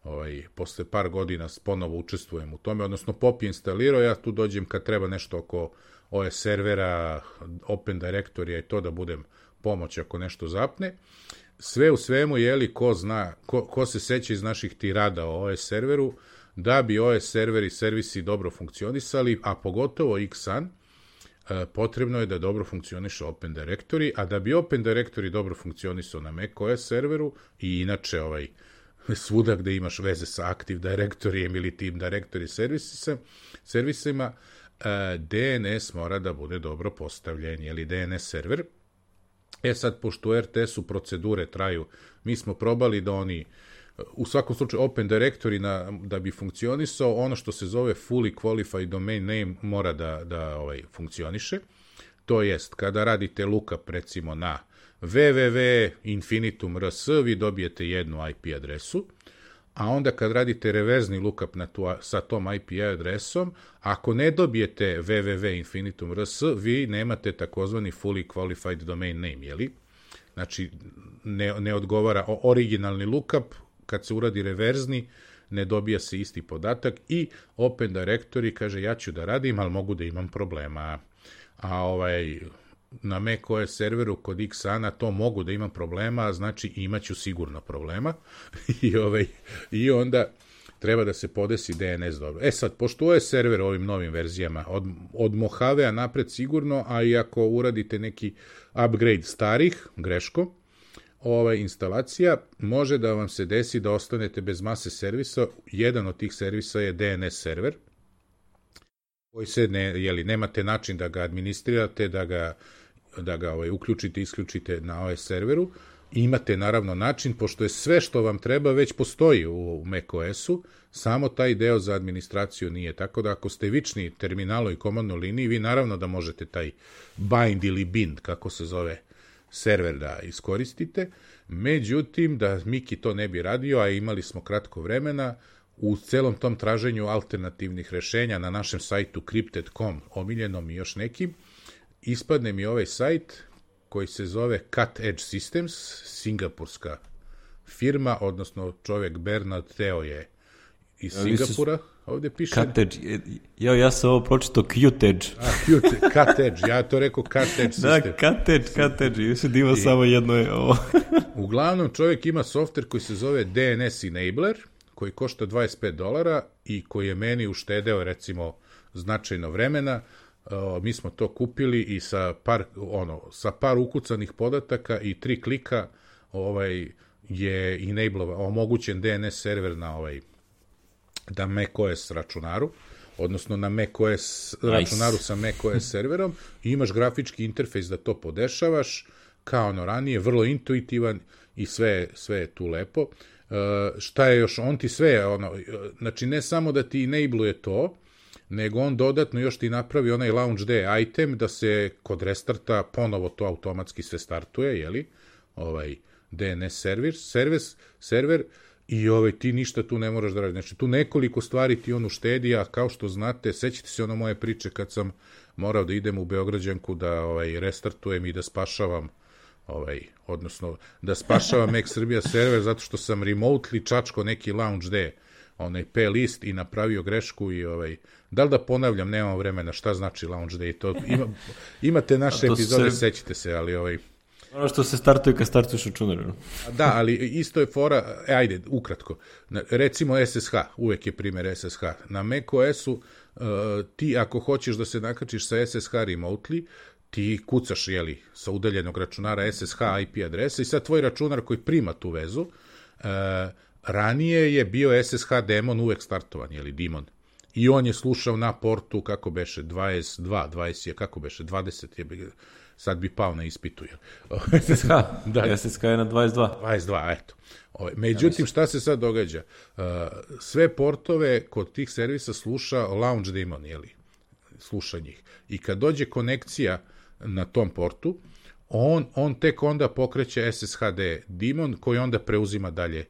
B: ovaj, posle par godina ponovo učestvujem u tome, odnosno Pop je instalirao, ja tu dođem kad treba nešto oko O S servera, Open Directory i to da budem pomoć ako nešto zapne. Sve u svemu, jeli, ko zna, ko, ko se seća iz naših tirada o O S serveru, da bi O S server i servisi dobro funkcionisali, a pogotovo X S A N, potrebno je da dobro funkcioniše Open Directory, a da bi Open Directory dobro funkcionisao na macOS serveru i inače ovaj, svuda gde imaš veze sa Active Directoryjem ili Team Directory servisima, servisima D N S mora da bude dobro postavljen, ili D N S server. E sad, pošto u er te esu procedure traju, mi smo probali da oni, u svakom slučaju Open Directory na, da bi funkcionisao, ono što se zove Fully Qualified Domain Name mora da, da ovaj, funkcioniše. To jest, kada radite lookup recimo na www infinitum punkt r s, vi dobijete jednu I P adresu, a onda kad radite reverzni lookup na tu, sa tom I P adresom, ako ne dobijete www infinitum punkt r s, vi nemate takozvani Fully Qualified Domain Name, jeli? Znači, ne, ne odgovara originalni lookup, kad se uradi reverzni, ne dobija se isti podatak i Open Directory kaže ja ću da radim, ali mogu da imam problema. A ovaj, na macOS serveru kod X S A N-a to mogu da imam problema, znači imaću sigurno problema. I, ovaj, i onda treba da se podesi D N S dobro. E sad, pošto je server ovim novim verzijama od, od Mojave-a napred sigurno, a i ako uradite neki upgrade starih, greško, ova instalacija, može da vam se desi da ostanete bez mase servisa. Jedan od tih servisa je D N S server, koji se ne, jeli, nemate način da ga administrirate, da ga, da ga ovaj, uključite i isključite na ovaj serveru. Imate naravno način, pošto je sve što vam treba već postoji u macOS-u, samo taj deo za administraciju nije. Tako da ako ste vični terminalu i komandnoj liniji, vi naravno da možete taj bind ili bind, kako se zove, server da iskoristite. Međutim, da Miki to ne bi radio, a imali smo kratko vremena, u celom tom traženju alternativnih rešenja na našem sajtu crypted dot com, omiljenom i još nekim, ispadne mi ovaj sajt koji se zove Cut Edge Systems, singapurska firma, odnosno čovjek Bernard Teo je iz Singapura, ovdje piše...
A: Cut Edge, ja, ja sam ovo pročito Cute Edge.
B: A, cute, Cut Edge, ja to rekao Cut Edge System.
A: Da, Cut Edge, Cut Edge, još je divo I, samo jedno je ovo.
B: Uglavnom, čovjek ima softver koji se zove D N S Enabler, koji košta dvadeset pet dolara i koji je meni uštedeo, recimo, značajno vremena. Uh, mi smo to kupili i sa par, ono, sa par ukucanih podataka i tri klika ovaj, je enablova, omogućen D N S server na ovaj, da macOS računaru, odnosno na macOS nice. računaru sa macOS serverom, i imaš grafički interfejs da to podešavaš, kao ono ranije, vrlo intuitivan i sve, sve je tu lepo. Uh, šta je još, on ti sve, ono, znači ne samo da ti enabluje to, nego on dodatno još ti napravi onaj launch day item da se kod restarta ponovo to automatski sve startuje, jeli, ovaj D N S server, server, server i ovaj, ti ništa tu ne moraš da radiš. Znači tu nekoliko stvari ti on uštedi, a kao što znate, sećate se ono moje priče kad sam morao da idem u Beograđanku da ovaj, restartujem i da spašavam ovaj, odnosno da spašavam Mac Srbija server zato što sam remotely čačko neki launch day onaj P list i napravio grešku i ovaj, da li da ponavljam, nemam vremena, šta znači launch day, to ima, imate naše epizode, se... sećate se, ali ovaj...
A: Ono što se startuje kad startuješ računar.
B: Da, ali isto je fora, e, ajde, ukratko, recimo S S H, uvek je primjer S S H, na macOS-u uh, ti ako hoćeš da se nakačiš sa S S H remotely, ti kucaš, jeli, sa udaljenog računara S S H I P adresa i sad tvoj računar koji prima tu vezu, uh, ranije je bio S S H daemon uvek startovan, jeli, daemon. I on je slušao na portu, kako beše, dvadeset dva, dvadeset je, kako beše, dvadeset je, sad bi pao na ispitu.
A: S S H, da. S S H je na dvadeset dva.
B: dvadeset dva, eto. Međutim, šta se sad događa? Sve portove kod tih servisa sluša launch daemon, jeli, sluša njih. I kad dođe konekcija na tom portu, on, on tek onda pokreće S S H D daemon koji onda preuzima dalje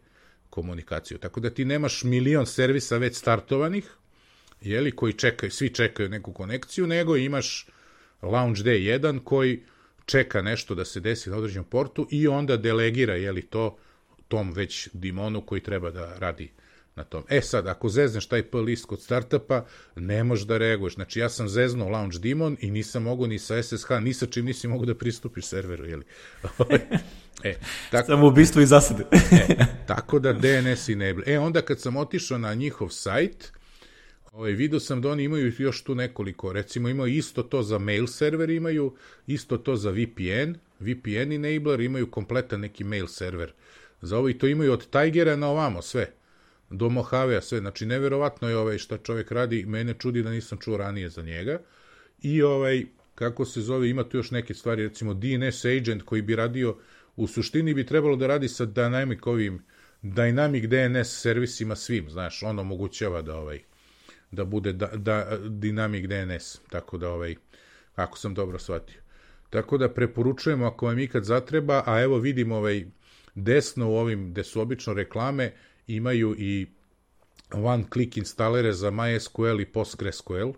B: komunikaciju. Tako da ti nemaš milion servisa već startovanih, jeli, koji čekaju, svi čekaju neku konekciju, nego imaš launch day jedan koji čeka nešto da se desi na određenom portu i onda delegira, jeli, to tom već daemonu koji treba da radi na tom. E sad, ako zezneš taj P list kod startupa, ne možeš da reaguješ. Znači, ja sam zeznuo launch daemon i nisam mogu ni sa S S H, ni sa čim nisi mogu da pristupiš serveru, jeli. E, tako,
A: samo ubistvo i zasade.
B: e, tako da D N S enable. E, onda kad sam otišao na njihov sajt, ovaj, vidio sam da oni imaju još tu nekoliko, recimo imaju isto to za mail server, imaju isto to za V P N, V P N enabler, imaju kompletan neki mail server za ovo i to imaju od Tigera na ovamo sve, do Mojavea sve, znači neverovatno je ovaj šta čovjek radi, mene čudi da nisam čuo ranije za njega i ovaj, kako se zove, ima tu još neke stvari, recimo D N S agent koji bi radio, u suštini bi trebalo da radi sa dynamic ovim, dynamic D N S servisima svim, znaš, on omogućava da ovaj, da bude da, da, dynamic D N S, tako da ovaj, ako sam dobro shvatio. Tako da preporučujemo ako vam ikad zatreba, a evo vidimo ovaj, desno u ovim, gde su obično reklame, imaju i one-click instalere za MySQL i PostgreSQL,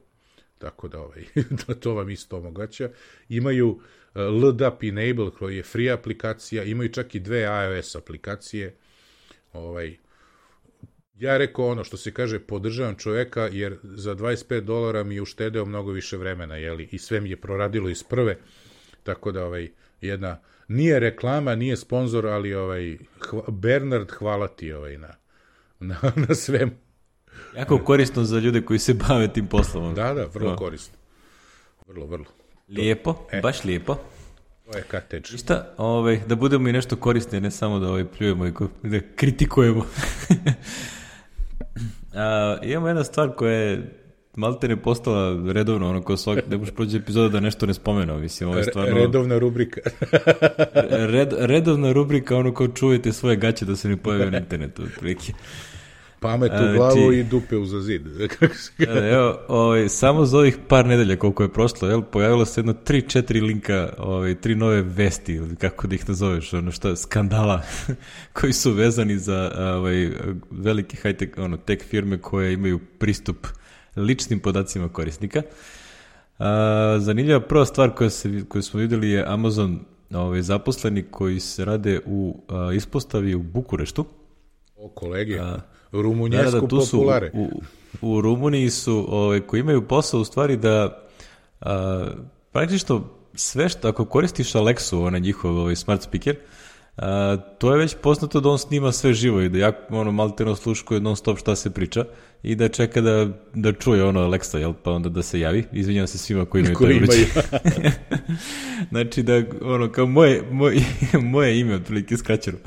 B: tako da, ovaj, da to vam isto omoguća. Imaju uh, L D A P Enable, koji je free aplikacija, imaju čak i dve iOS aplikacije. Ovaj, ja rekao ono što se kaže, podržavam čoveka, jer za dvadeset pet dolara mi je uštedeo mnogo više vremena, jeli, i sve mi je proradilo iz prve, tako da ovaj, jedna, nije reklama, nije sponzor, ali ovaj, hva, Bernard, hvala ti ovaj, na, na, na svemu.
A: Jako korisno za ljude koji se bave tim poslom.
B: Da, da, vrlo no. korisno. Vrlo, vrlo.
A: Lijepo, e, baš lijepo.
B: To je kateč.
A: I šta, ovaj, da budemo i nešto korisni, ne samo da ovaj, pljujemo i da kritikujemo. A, imamo jedna stvar koja je malte ne postala redovno, ono ko svak, ne možeš prođe epizoda da nešto ne spomenu, mislim, ovo je stvarno...
B: Redovna rubrika.
A: red, redovna rubrika, ono ko čujete svoje gaće da se ne pojave na internetu, otprilike.
B: Pamet u glavu znači, i dupe uza zid.
A: Evo, ovaj, samo za ovih par nedelja koliko je prošlo, jel, pojavilo se jedno tri četiri linka, ovaj, tri nove vesti, ili kako da ih nazoveš, ono šta, skandala, koji su vezani za ovaj, velike high-tech, ono, tech firme koje imaju pristup ličnim podacima korisnika. A, zanimljiva prva stvar koja se, koju smo vidjeli je Amazon ovaj, zaposleni koji se rade u a, ispostavi u Bukureštu.
B: O, kolege, a, rumunjesku da, da, populare.
A: U, u, u Rumuniji su, ovaj, koji imaju posao u stvari da a, praktično sve što, ako koristiš Alexu, onaj njihov ovaj, smart speaker, a, to je već poznato da on snima sve živo i da ja ono, malteno sluškuje non stop šta se priča i da čeka da, da čuje ono Alexa, jel, pa onda da se javi. Izvinjam se svima koji imaju taj uređaj. Znači da, ono, kao moje, moje, moje ime, otprilike skraćeno.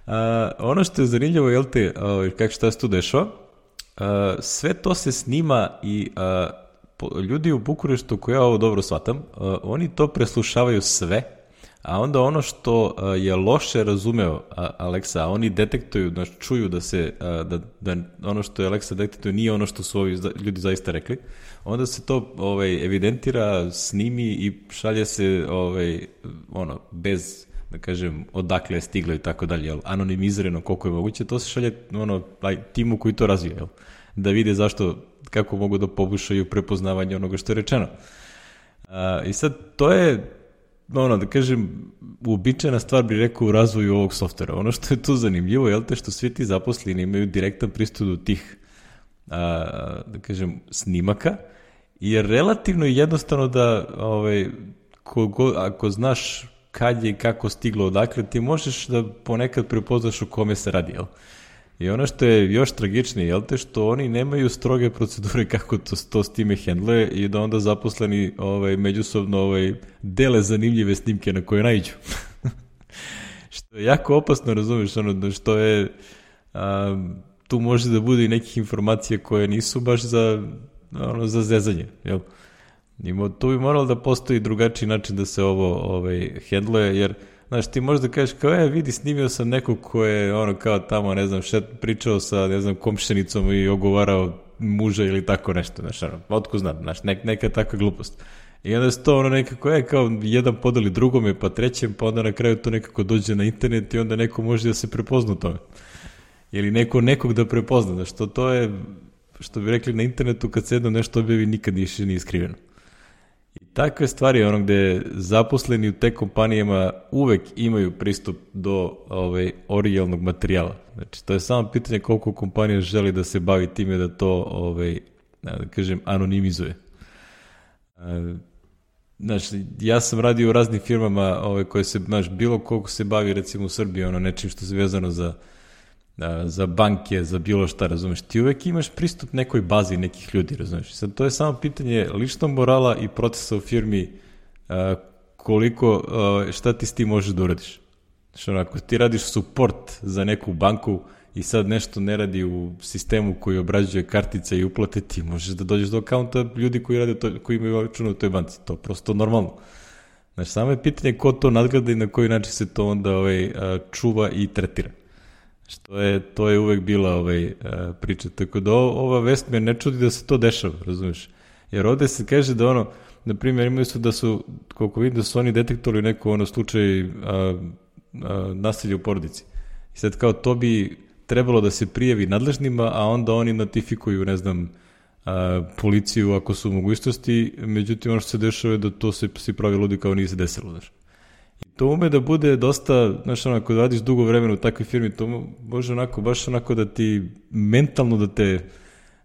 A: Uh, ono što je zanimljivo, jel te, uh, kako šta se tu dešava, uh, sve to se snima i uh, po, ljudi u Bukureštu, koji ja ovo dobro shvatam, uh, oni to preslušavaju sve, a onda ono što uh, je loše razumeo uh, Alexa, a oni detektuju, znači čuju da se, uh, da, da ono što je Alexa detektuje nije ono što su ovi ljudi zaista rekli, onda se to ovaj, evidentira, snimi i šalje se ovaj, ono, bez da kažem, odakle je stiglo i tako dalje, jel, anonimizirano koliko je moguće, to se šalje ono, aj, timu koji to razvija, jel, da vide zašto, kako mogu da poboljšaju prepoznavanje onoga što je rečeno. A, I sad, to je, ono, da kažem, uobičajena stvar bih rekao u razvoju ovog softvera. Ono što je tu zanimljivo, jel te, što svi ti zaposleni imaju direktan pristup do tih, a, da kažem, snimaka, i je relativno jednostavno da, ovaj, kogo, ako znaš kad je i kako stiglo odakle, ti možeš da ponekad prepoznaš o kome se radi, jel? I ono što je još tragičnije, jel te, što oni nemaju stroge procedure kako to, to s time hendluje i da onda zaposleni ovaj, međusobno ovaj, dele zanimljive snimke na koje naiđu. Što je jako opasno, razumiješ, ono, što je, a, tu može da bude i nekih informacija koje nisu baš za, ono, za zezanje, jel? I tu bi moralo da postoji drugačiji način da se ovo ovaj, hendluje, jer, znaš, ti možeš da kažeš kao, e, vidi, snimio sam nekog ko je, ono, kao tamo, ne znam, šet, pričao sa, ne znam, komšenicom i ogovarao muža ili tako nešto, znaš, ono, otko znam, znaš, nek, neka takva glupost. I onda se to, ono, nekako, je, kao, jedan podeli drugome, pa trećem, pa onda na kraju to nekako dođe na internet i onda neko može da se prepozna u tome. Ili neko nekog da prepozna, znaš, to, to je, što bi rekli na internetu, kad se jedno nešto objavi, nikad više nije skriveno. I takve stvari, ono gde zaposleni u te kompanijama uvek imaju pristup do ovaj, originalnog materijala. Znači, to je samo pitanje koliko kompanija želi da se bavi time da to, ovaj, da kažem, anonimizuje. Znači, ja sam radio u raznim firmama ovaj, koje se, znaš, bilo koliko se bavi, recimo u Srbiji, ono, nečim što se vezano za za banke, za bilo šta, razumeš, ti uvek imaš pristup nekoj bazi nekih ljudi, razumeš. Sad, to je samo pitanje ličnog morala i procesa u firmi, a, koliko, a, šta ti s tim možeš da uradiš. Znači, ako ti radiš support za neku banku i sad nešto ne radi u sistemu koji obrađuje kartice i uplate, ti možeš da dođeš do akaunta ljudi koji rade to, koji imaju račun u toj banci. To je prosto normalno. Znači, samo je pitanje ko to nadgleda i na koji način se to onda ovaj, a, čuva i tretira. Što je, to je uvek bila ovaj, priča. Tako da ova vest me ne čudi da se to dešava, razumiješ? Jer ovde se kaže da ono, na primjer, imaju su da su, koliko vidim, da su oni detektovali neko ono slučaj a, a, nasilja u porodici. I sad kao to bi trebalo da se prijavi nadležnima, a onda oni notifikuju, ne znam, a, policiju ako su u mogućnosti, međutim ono što se dešava je da to se svi pravi ludi kao nije se desilo, znaš. To ume da bude dosta, znaš, ono, ako radiš dugo vremena u takvoj firmi, to može onako, baš onako da ti mentalno da te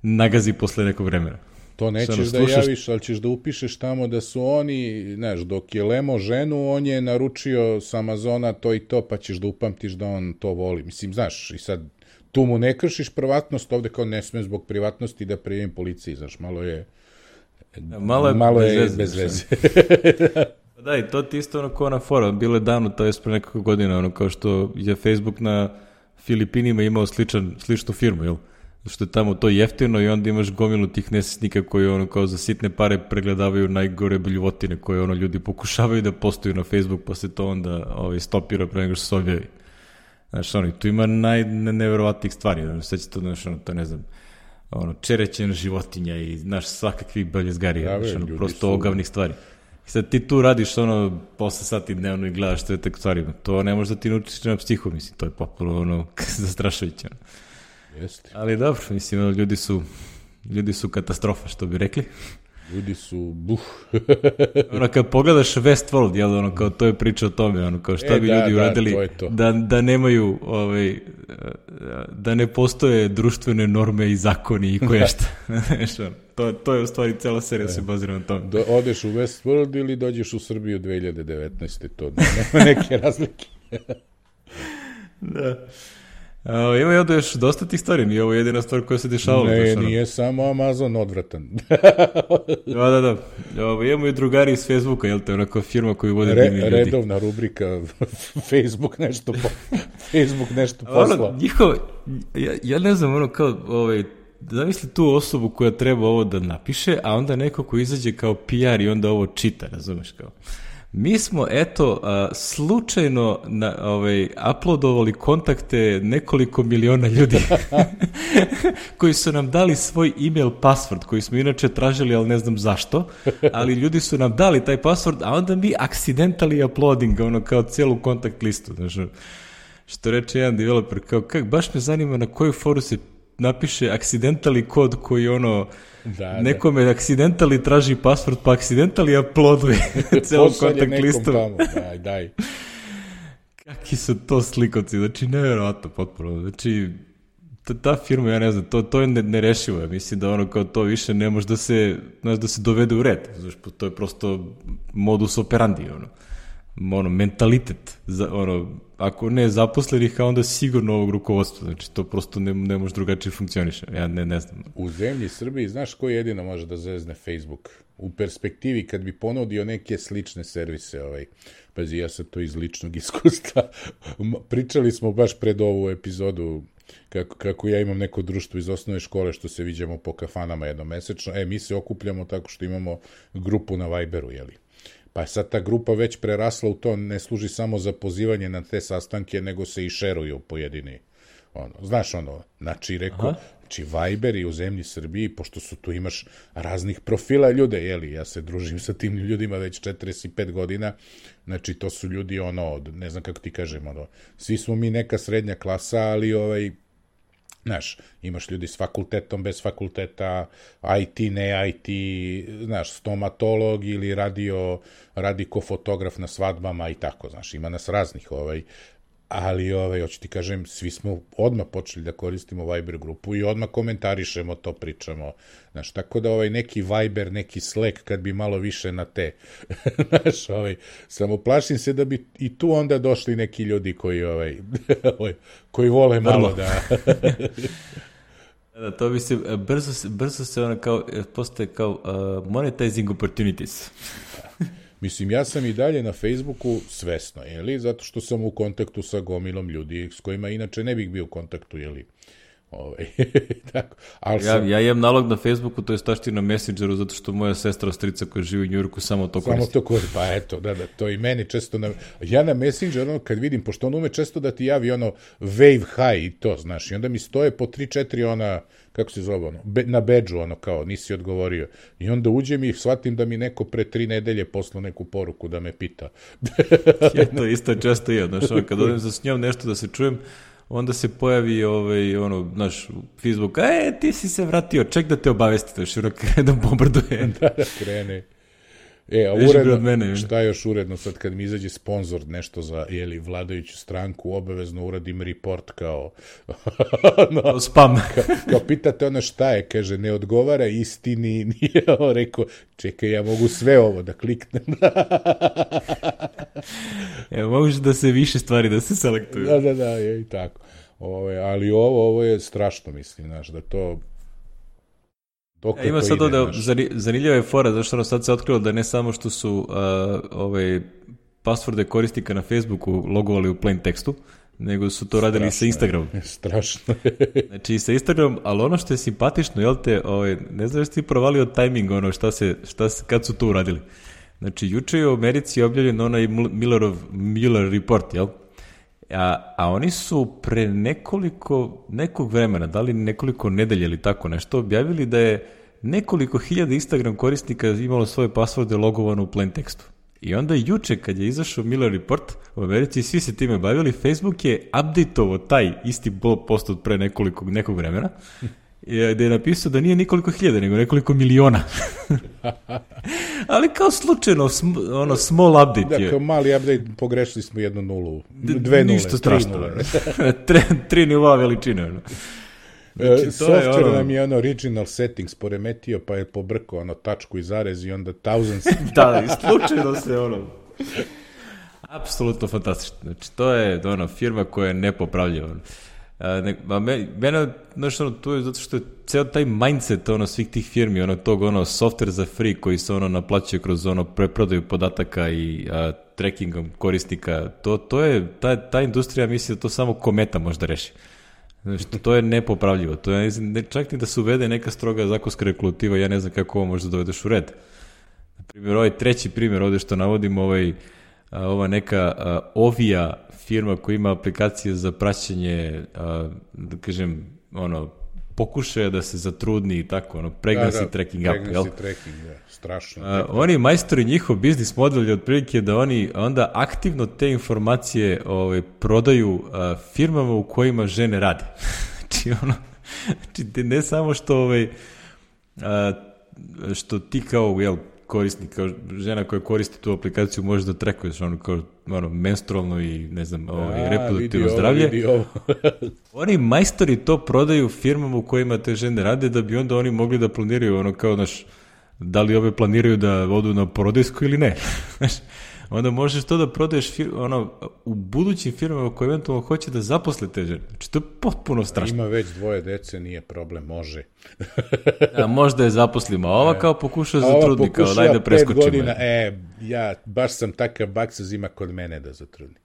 A: nagazi posle nekog vremena.
B: To nećeš ono, da slušaš... javiš, ali ćeš da upišeš tamo da su oni, znaš, dok je Lemo ženu, on je naručio s Amazona to i to, pa ćeš da upamtiš da on to voli. Mislim, znaš, i sad tu mu ne kršiš privatnost, ovde kao ne sme zbog privatnosti da prijavim policiji, znaš, malo je...
A: Malo je,
B: malo
A: bez,
B: je
A: veze,
B: bez veze.
A: Da, i to ti isto ono kao na fora, bilo je davno, to je pre nekako godina, ono kao što je Facebook na Filipinima imao sličan, sličnu firmu, jel? Što je tamo to jeftino i onda imaš gomilu tih nesretnika koji ono kao za sitne pare pregledavaju najgore bljuvotine koje ono ljudi pokušavaju da postaju na Facebook, pa se to onda ovaj, stopira pre nego što se objavi. Znaš, ono, tu ima najneverovatnijih stvari, znači, sve će to, znaš, ono, to ne znam, ono, čerećena životinja i, znaš, svakakvih beljezgarija, znaš, ono, prosto su... ogavnih stvari. I sad ti tu radiš, ono, posle sati dnevno i gledaš sve te stvari, to ne može da ti naučiš na psihu, mislim, to je popuno, ono, zastrašujuće, ono.
B: Jeste.
A: Ali dobro, mislim, ono, ljudi su, ljudi su katastrofa, što bi rekli.
B: Ljudi su, buh.
A: Ono, kad pogledaš Westworld, jel, ono, kao to je priča o tome, ono, kao šta
B: e,
A: bi
B: da,
A: ljudi
B: da,
A: uradili
B: to to.
A: Da, da nemaju, ovaj, da ne postoje društvene norme i zakoni i koje šta. to, to je u stvari cela serija se bazira na tome.
B: Do, odeš u Westworld ili dođeš u Srbiju dve hiljade devetnaeste. To nema neke razlike.
A: Da. Uh, ima i ovdje još dosta tih stvari, nije ovo jedina stvar koja se dešavala.
B: Ne, nije ono. Samo Amazon odvratan.
A: da, da, da. Ovo, imamo i drugari iz Facebooka, jel te, onako firma koju vode
B: Re,
A: divni ljudi.
B: Redovna rubrika Facebook nešto po, Facebook nešto posla.
A: Ono, njihov, ja, ja ne znam, ono kao, ovaj, zamisli tu osobu koja treba ovo da napiše, a onda neko ko izađe kao P R i onda ovo čita, razumeš kao. Mi smo, eto, a, slučajno na, ovaj, uploadovali kontakte nekoliko miliona ljudi koji su nam dali svoj email password, koji smo inače tražili, ali ne znam zašto, ali ljudi su nam dali taj password, a onda mi accidentally uploading, ono, kao cijelu kontakt listu, znaš, što reče jedan developer, kao, kak, baš me zanima na koju foru se napiše accidentally kod koji, ono, da, nekome da. accidentally traži password, pa accidentally uploaduje celu kontakt listu.
B: Tamo. Daj, daj.
A: Kaki su to slikovci, znači nevjerovatno potpuno, znači ta, ta firma, ja ne znam, to, to je nerešivo, ja mislim da ono kao to više ne može da se, znaš, da se dovede u red, znači to je prosto modus operandi, ono, ono mentalitet, za, ono, ako ne zaposlenih, a onda sigurno ovog rukovodstva, znači to prosto ne, ne može drugačije funkcioniše, ja ne, ne znam.
B: U zemlji Srbiji, znaš ko jedino može da zezne Facebook? U perspektivi, kad bi ponudio neke slične servise, ovaj, pazi, ja sam to iz ličnog iskustva, pričali smo baš pred ovu epizodu, kako, kako ja imam neko društvo iz osnovne škole što se viđamo po kafanama jednomesečno, e, mi se okupljamo tako što imamo grupu na Viberu, jeli? Pa je sad ta grupa već prerasla u to, ne služi samo za pozivanje na te sastanke, nego se i šeruju pojedini. Ono, znaš ono, znači reko, znači Viber i u zemlji Srbiji, pošto su tu imaš raznih profila ljude, jeli, ja se družim sa tim ljudima već četrdeset pet godina, znači to su ljudi ono, ne znam kako ti kažem, ono, svi smo mi neka srednja klasa, ali ovaj, znaš, imaš ljudi s fakultetom, bez fakulteta, I T, ne I T, znaš, stomatolog ili radio, radi ko fotograf na svadbama i tako, znaš, ima nas raznih, ovaj, ali, ovaj, hoću ti kažem, svi smo odmah počeli da koristimo Viber grupu i odmah komentarišemo, to pričamo, znaš, tako da ovaj neki Viber, neki Slack, kad bi malo više na te, znaš, ovaj, samo plašim se da bi i tu onda došli neki ljudi koji, ovaj, koji vole malo Vrlo. da...
A: Da, to bi se, brzo, brzo se ono kao, postaje kao uh, monetizing opportunities.
B: Mislim, ja sam i dalje na Facebooku svesno, jeli, zato što sam u kontaktu sa gomilom ljudi s kojima inače ne bih bio u kontaktu, jeli. Ovaj, tako. Ali
A: ja,
B: sam...
A: ja imam nalog na Facebooku, to je stašti na Messengeru, zato što moja sestra ostrica koja živi u Njujorku samo to koristi.
B: Samo to koristi, pa eto, da, da, to i meni često, na... ja na Messengeru, ono, kad vidim, pošto on ume često da ti javi ono wave high i to, znaš, i onda mi stoje po tri četiri ona, kako se zove, ono, be, na bedžu, ono, kao, nisi odgovorio. I onda uđem i shvatim da mi neko pre tri nedelje poslao neku poruku da me pita.
A: Ja to isto često je, znaš, ono, kad odem za s njom nešto da se čujem, onda se pojavi ovaj, ono, naš Facebook, e, ti si se vratio, ček da te obavesti, da što krene da bombarduje.
B: Da, da krene. E, a uredno, mene, šta još uredno, sad kad mi izađe sponsor nešto za, jeli, vladajuću stranku, obavezno uradim report kao...
A: no, spam.
B: Kao, kao pitate ona šta je, kaže, ne odgovara istini, nije ovo rekao, čekaj, ja mogu sve ovo da kliknem.
A: Evo, moguće da se više stvari da se selektuju.
B: Da, da, da, je i tako. Ovo, ali ovo, ovo je strašno, mislim, znaš, da to... Dokle
A: E, ima
B: to
A: sad
B: ide,
A: ovde,
B: znaš.
A: zani- zanimljiva je fora, zašto ono sad se otkrilo da ne samo što su uh, ove pasvorde korisnika na Facebooku logovali u plain tekstu, nego su to radili sa Instagramom.
B: Je, strašno.
A: Znači i sa Instagramom, ali ono što je simpatično, jel te, ovaj, ne znaš ti provalio tajming, ono šta se, šta se, kad su to uradili. Znači, juče je u Americi objavljen onaj Millerov, Miller report, jel? A, a oni su pre nekoliko, nekog vremena, da li nekoliko nedelje ili tako nešto, objavili da je nekoliko hiljada Instagram korisnika imalo svoje pasvorde logovano u plain tekstu. I onda juče kad je izašao Miller report u Americi, svi se time bavili, Facebook je updateovao taj isti post od pre nekoliko, nekog vremena, gde je napisao da nije nekoliko hiljada, nego nekoliko miliona. Ali kao slučajno, sm, ono, small update
B: Da,
A: je.
B: kao mali update, pogrešili smo jednu nulu, dve nule,
A: Ništa
B: tri
A: strašno.
B: nule.
A: tri, tri nivoa veličine. Ono.
B: Znači, software
A: ono...
B: nam je ono original settings poremetio, pa je pobrkao ono tačku i zarez i onda thousands.
A: Da, i slučajno se ono... Apsolutno fantastično. Znači, to je ono, firma koja je nepopravljiva. Ono. A, ne, a me, mene, znaš, ono, to je zato što je ceo taj mindset ono, svih tih firmi, ono, tog, ono, software za free koji se, ono, naplaćuje kroz, ono, preprodaju podataka i a, trackingom korisnika, to, to je, ta, ta industrija misli da to samo kometa možda reši. Znači, to je nepopravljivo. To je, ne, čak ni da se uvede neka stroga zakonska regulativa, ja ne znam kako ovo možda dovedeš u red. Na primjer, ovaj treći primjer ovde što navodimo, ovaj, a, ova neka a, Ovija firma koja ima aplikacije za praćenje, a, da kažem, ono, pokušaja da se zatrudni i tako, ono, pregnancy
B: da, da,
A: tracking app, jel?
B: Pregnancy tracking, da, strašno.
A: A, oni majstori, njihov biznis model je otprilike da oni onda aktivno te informacije ovaj, prodaju a, firmama u kojima žene rade. Znači, ono, znači, ne samo što, ovaj, a, što ti kao, jel, korisnik, kao žena koja koristi tu aplikaciju može da trekuješ ono kao ono, menstrualno i ne znam, ovaj, reproduktivno zdravlje.
B: Vidi ovo.
A: Oni majstori to prodaju firmama u kojima te žene rade da bi onda oni mogli da planiraju ono kao, znaš, da li ove planiraju da odu na porodijsku ili ne. Znaš, onda možeš to da prodaješ fir, ono, u budućim firmama koje eventualno hoće da zaposle te žene. Znači, to je potpuno strašno.
B: Ima već dvoje dece, nije problem, može.
A: A možda je zaposlimo, a ova kao pokuša za trudni, kao daj da preskočimo.
B: Pet godina, e, ja baš sam takav baksaz ima kod mene da zatrudni.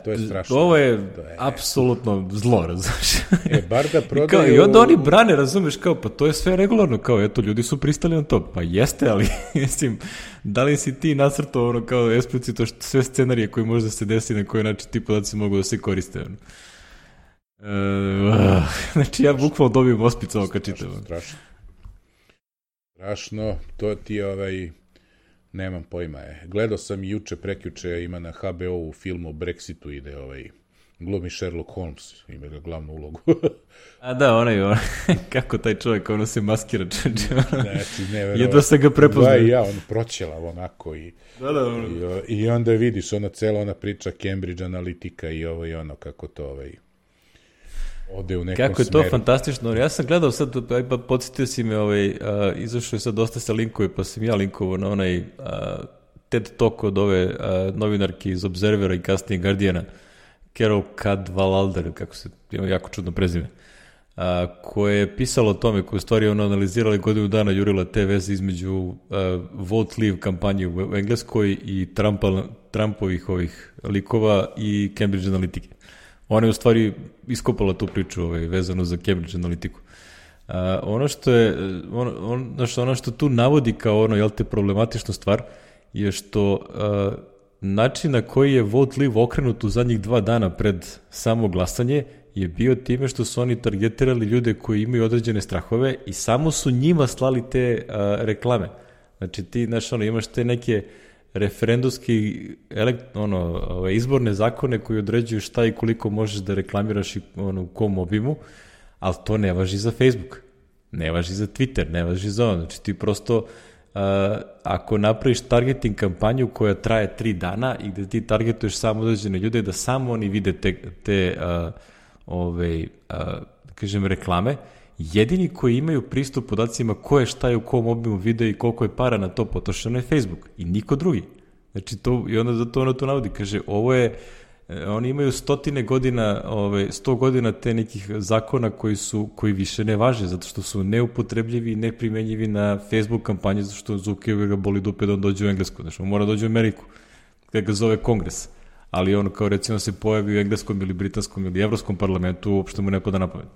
B: To je strašno.
A: Ovo je,
B: to je
A: apsolutno zlo, razumiješ?
B: E, bar da prodaju...
A: I, kao, I onda oni brane, razumiješ, kao, pa to je sve regularno, kao, eto, ljudi su pristali na to. Pa jeste, ali, mislim, da li si ti nacrtao, ono, kao, eksplicitno sve scenarije koji možda se desi na koji način ti podaci mogu da se koriste, ono. E, znači, ja bukvalno dobijem ospica ovo kad čitam.
B: Strašno. Strašno, to ti je ovaj... Nemam pojma je. Gledao sam juče, prekjuče, ima na ha be o u filmu o Brexitu ide ovaj glumi Sherlock Holmes, ima ga glavnu ulogu.
A: A da, onaj, onaj, kako taj čovjek, ono se maskira, čeče, ono,
B: znači, ne,
A: jedva se ga prepoznaje.
B: Da, ja, on proćelav onako i,
A: da, da, ono.
B: i, i onda vidiš, ona cela ona priča Cambridge Analytica i ovo i ono, kako to ovaj... ode u nekom
A: Kako je to
B: smeru.
A: fantastično. Ja sam gledao sad, pa podsjetio si me, ovaj, uh, izašao je sad dosta sa linkove, pa sam ja linkovao na onaj uh, TED Talk od ove uh, novinarke iz Observera i kasnije Guardiana, Carol Cadwalladr, kako se, ima jako čudno prezime, uh, koje je pisalo o tome, koje u stvari ono analizirala godinu dana, jurila te veze između uh, Vote Leave kampanje u Engleskoj i Trumpa, Trumpovih ovih likova i Cambridge Analytica. Ona je u stvari iskopala tu priču ovaj, vezanu za Cambridge Analytiku. Uh, ono što je, ono, ono, što, ono što tu navodi kao ono, jel te, problematičnu stvar, je što uh, način na koji je Vote Leave okrenut u zadnjih dva dana pred samo glasanje je bio time što su oni targetirali ljude koji imaju određene strahove i samo su njima slali te uh, reklame. Znači ti, znaš, ono, imaš te neke referendumski elekt, ono, ove, izborne zakone koji određuju šta i koliko možeš da reklamiraš i ono, u kom obimu, ali to ne važi za Facebook, ne važi za Twitter, ne važi za ono. Znači ti prosto, uh, ako napraviš targeting kampanju koja traje tri dana i gde ti targetuješ samo određene ljude, da samo oni vide te, te uh, ove, uh, kažem, reklame, jedini koji imaju pristup podacima ko je šta je u kom obimu video i koliko je para na to potrošeno je Facebook i niko drugi. Znači to, i onda zato ono to navodi, kaže, ovo je oni imaju stotine godina, ove, sto godina te nekih zakona koji su, koji više ne važe, zato što su neupotrebljivi i neprimenjivi na Facebook kampanje, zato što Zuckerberga boli dupe da on dođe u Englesku, znači on mora dođe u Ameriku, kada ga zove Kongres, ali ono kao recimo se pojavi u engleskom ili britanskom ili evropskom parlamentu, uopšte mu ne pada na pamet.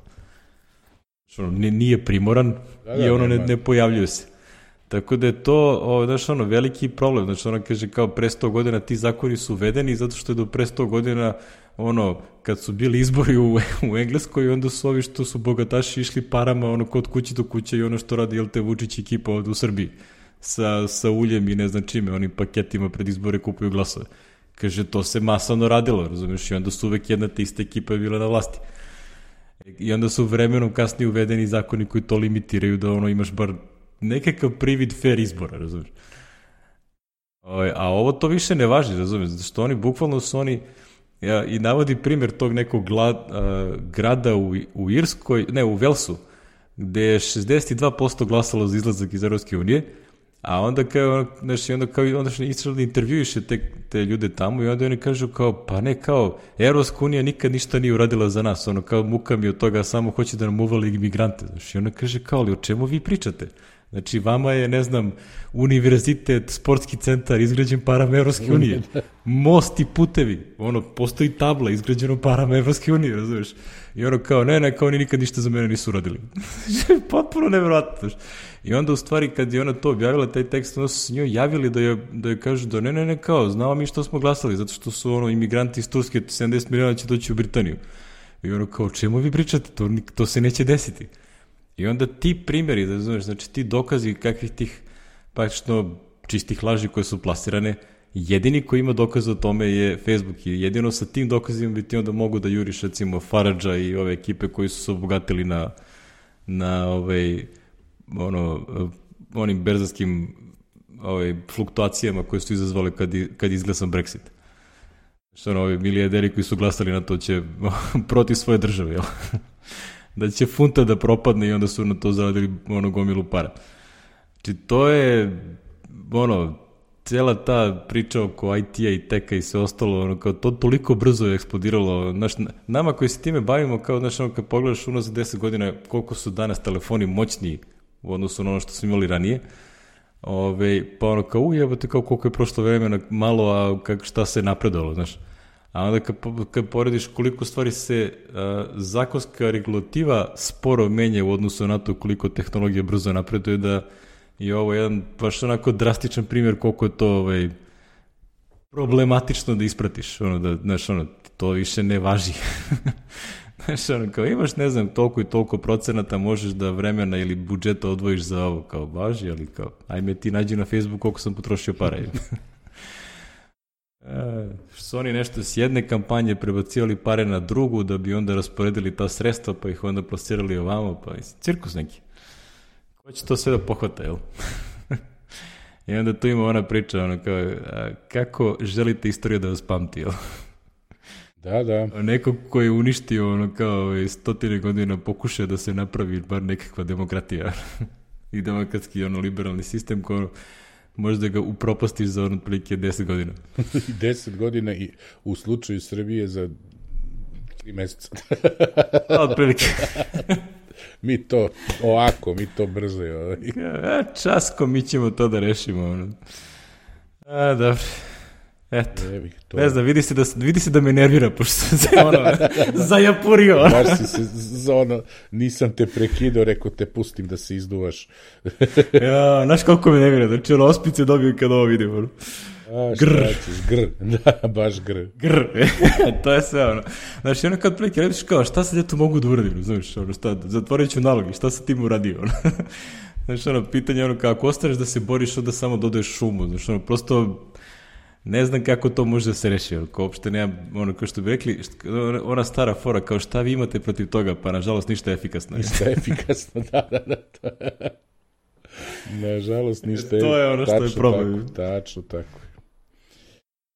A: Znači ono, nije primoran da, da, i ono ne, ne pojavljuje se. Tako da je to, o, znaš, ono, veliki problem. Znači, ona kaže, kao pre sto godina ti zakoni su uvedeni zato što je do pre sto godina, ono, kad su bili izbori u, u Engleskoj, onda su ovi što su bogataši išli parama, ono, kod kuće do kuće i ono što radi, jel te, Vučić ekipa ovde u Srbiji, sa, sa uljem i ne znam čime, onim paketima pred izbore kupuju glasove. Kaže, to se masovno radilo, razumiješ, i onda su uvek jedna te ista ekipa bila na vlasti. I onda su vremenom kasnije uvedeni zakoni koji to limitiraju da, ono, imaš bar nekakav privid fair izbora, razumiješ. A ovo to više ne važi, razumiješ, zato što oni, bukvalno su oni, ja, i navodi primjer tog nekog glad, a, grada u, u Irskoj, ne, u Velsu, gde je šezdeset dva posto glasalo za izlazak iz Evropske unije, a onda kao, znači, onda kao, onda što Israel intervjuiše te, te ljude tamo i onda oni kažu kao, pa ne, kao, Evropska unija nikad ništa nije uradila za nas, ono, kao, muka mi od toga, samo hoće da nam uvali imigrante, znači, onda kaže, kao, ali o čemu vi pričate? Znači, vama je, ne znam, univerzitet, sportski centar izgrađen parama Evropske unije. Most i putevi. Ono, postoji tabla izgrađeno parama Evropske unije, razumiješ? I ono kao, ne, ne, kao oni nikad ništa za mene nisu uradili. Potpuno nevjerojatno. I onda, u stvari, kad je ona to objavila, taj tekst, onda su se njoj javili da je, da je kažu da ne, ne, ne, kao, znamo mi što smo glasali, zato što su, ono, imigranti iz Turske, sedamdeset miliona će doći u Britaniju. I ono kao, čemu vi pričate? To, to se neće desiti. I onda ti primjeri, da znaš, znači ti dokazi kakvih tih praktično čistih laži koje su plasirane, jedini koji ima dokaz o tome je Facebook i jedino sa tim dokazima bi ti onda mogu da juriš recimo Faradža i ove ekipe koji su se obogatili na, na ovaj, ono, onim berzanskim ovaj, fluktuacijama koje su izazvale kad, kad izglasan Brexit. Što ono, ovi milijarderi koji su glasali na to će protiv svoje države, jel? Da će funta da propadne i onda su na to zaradili ono gomilu para. Znači to je ono, cijela ta priča oko I T-a i teka i sve ostalo, ono, kao to toliko brzo je eksplodiralo. Znaš, nama koji se time bavimo, kao, znaš, ono, kad pogledaš unazad za deset godina koliko su danas telefoni moćniji u odnosu na ono što smo imali ranije, ove, pa ono kao ujebate kao koliko je prošlo vremena malo, a kak, šta se napredovalo, znaš. A onda kad, kad porediš koliko stvari se a, zakonska regulativa sporo menja u odnosu na to koliko tehnologija brzo napreduje, da je ovo jedan baš onako drastičan primjer koliko je to ovaj, problematično da ispratiš. Ono, da, znaš, ono, to više ne važi. Znaš, ono, kao imaš, ne znam, toliko i toliko procenata, možeš da vremena ili budžeta odvojiš za ovo, kao važi, ali kao, ajme ti nađi na Facebooku koliko sam potrošio para. E, što su oni nešto s jedne kampanje prebacivali pare na drugu da bi onda rasporedili ta sredstva pa ih onda plasirali ovamo, pa cirkus neki. Ko će to sve da pohvata, jel? I onda tu ima ona priča, ono kao, a, kako želite istoriju da vas pamti, jel?
B: Da, da.
A: Neko koji je uništio ono kao stotine godina pokušao da se napravi bar nekakva demokratija i demokratski ono liberalni sistem koji možda ga upropastiš za ono otprilike deset godina.
B: deset godina i u slučaju Srbije za tri meseca.
A: Otprilike.
B: Mi to ovako, mi to brzo.
A: A, časko, mi ćemo to da rešimo. Ono. A, dobro. Eto, to... ne znam, vidi se, da, vidi se da me nervira, pošto sam se ono, zajapurio.
B: Baš si se, za ono, nisam te prekidao, rekao te pustim da se izduvaš.
A: Ja, znaš koliko me nervira, znači ono, ospice dobiju kad ovo vidim. Ono.
B: A, šta ćeš, gr, da, baš gr.
A: Gr, to je sve ono. Znači, ono kad prilike, rediš kao, šta sad ja tu mogu da uradim, znaš, ono, šta, zatvorit ću nalogi, šta sam tim uradio, ono. Znači, ono, pitanje, ono, kako ostaneš da se boriš, onda samo dodaješ šumu, znači, ono, prosto... Ne znam kako to može da se reši, ako uopšte nema, ono kao što bi rekli, ona stara fora, kao šta vi imate protiv toga, pa nažalost ništa efikasno.
B: Ništa efikasno, da, da, da. To... Nažalost ništa efikasno.
A: To je ono što je problem.
B: Tako, tačno tako.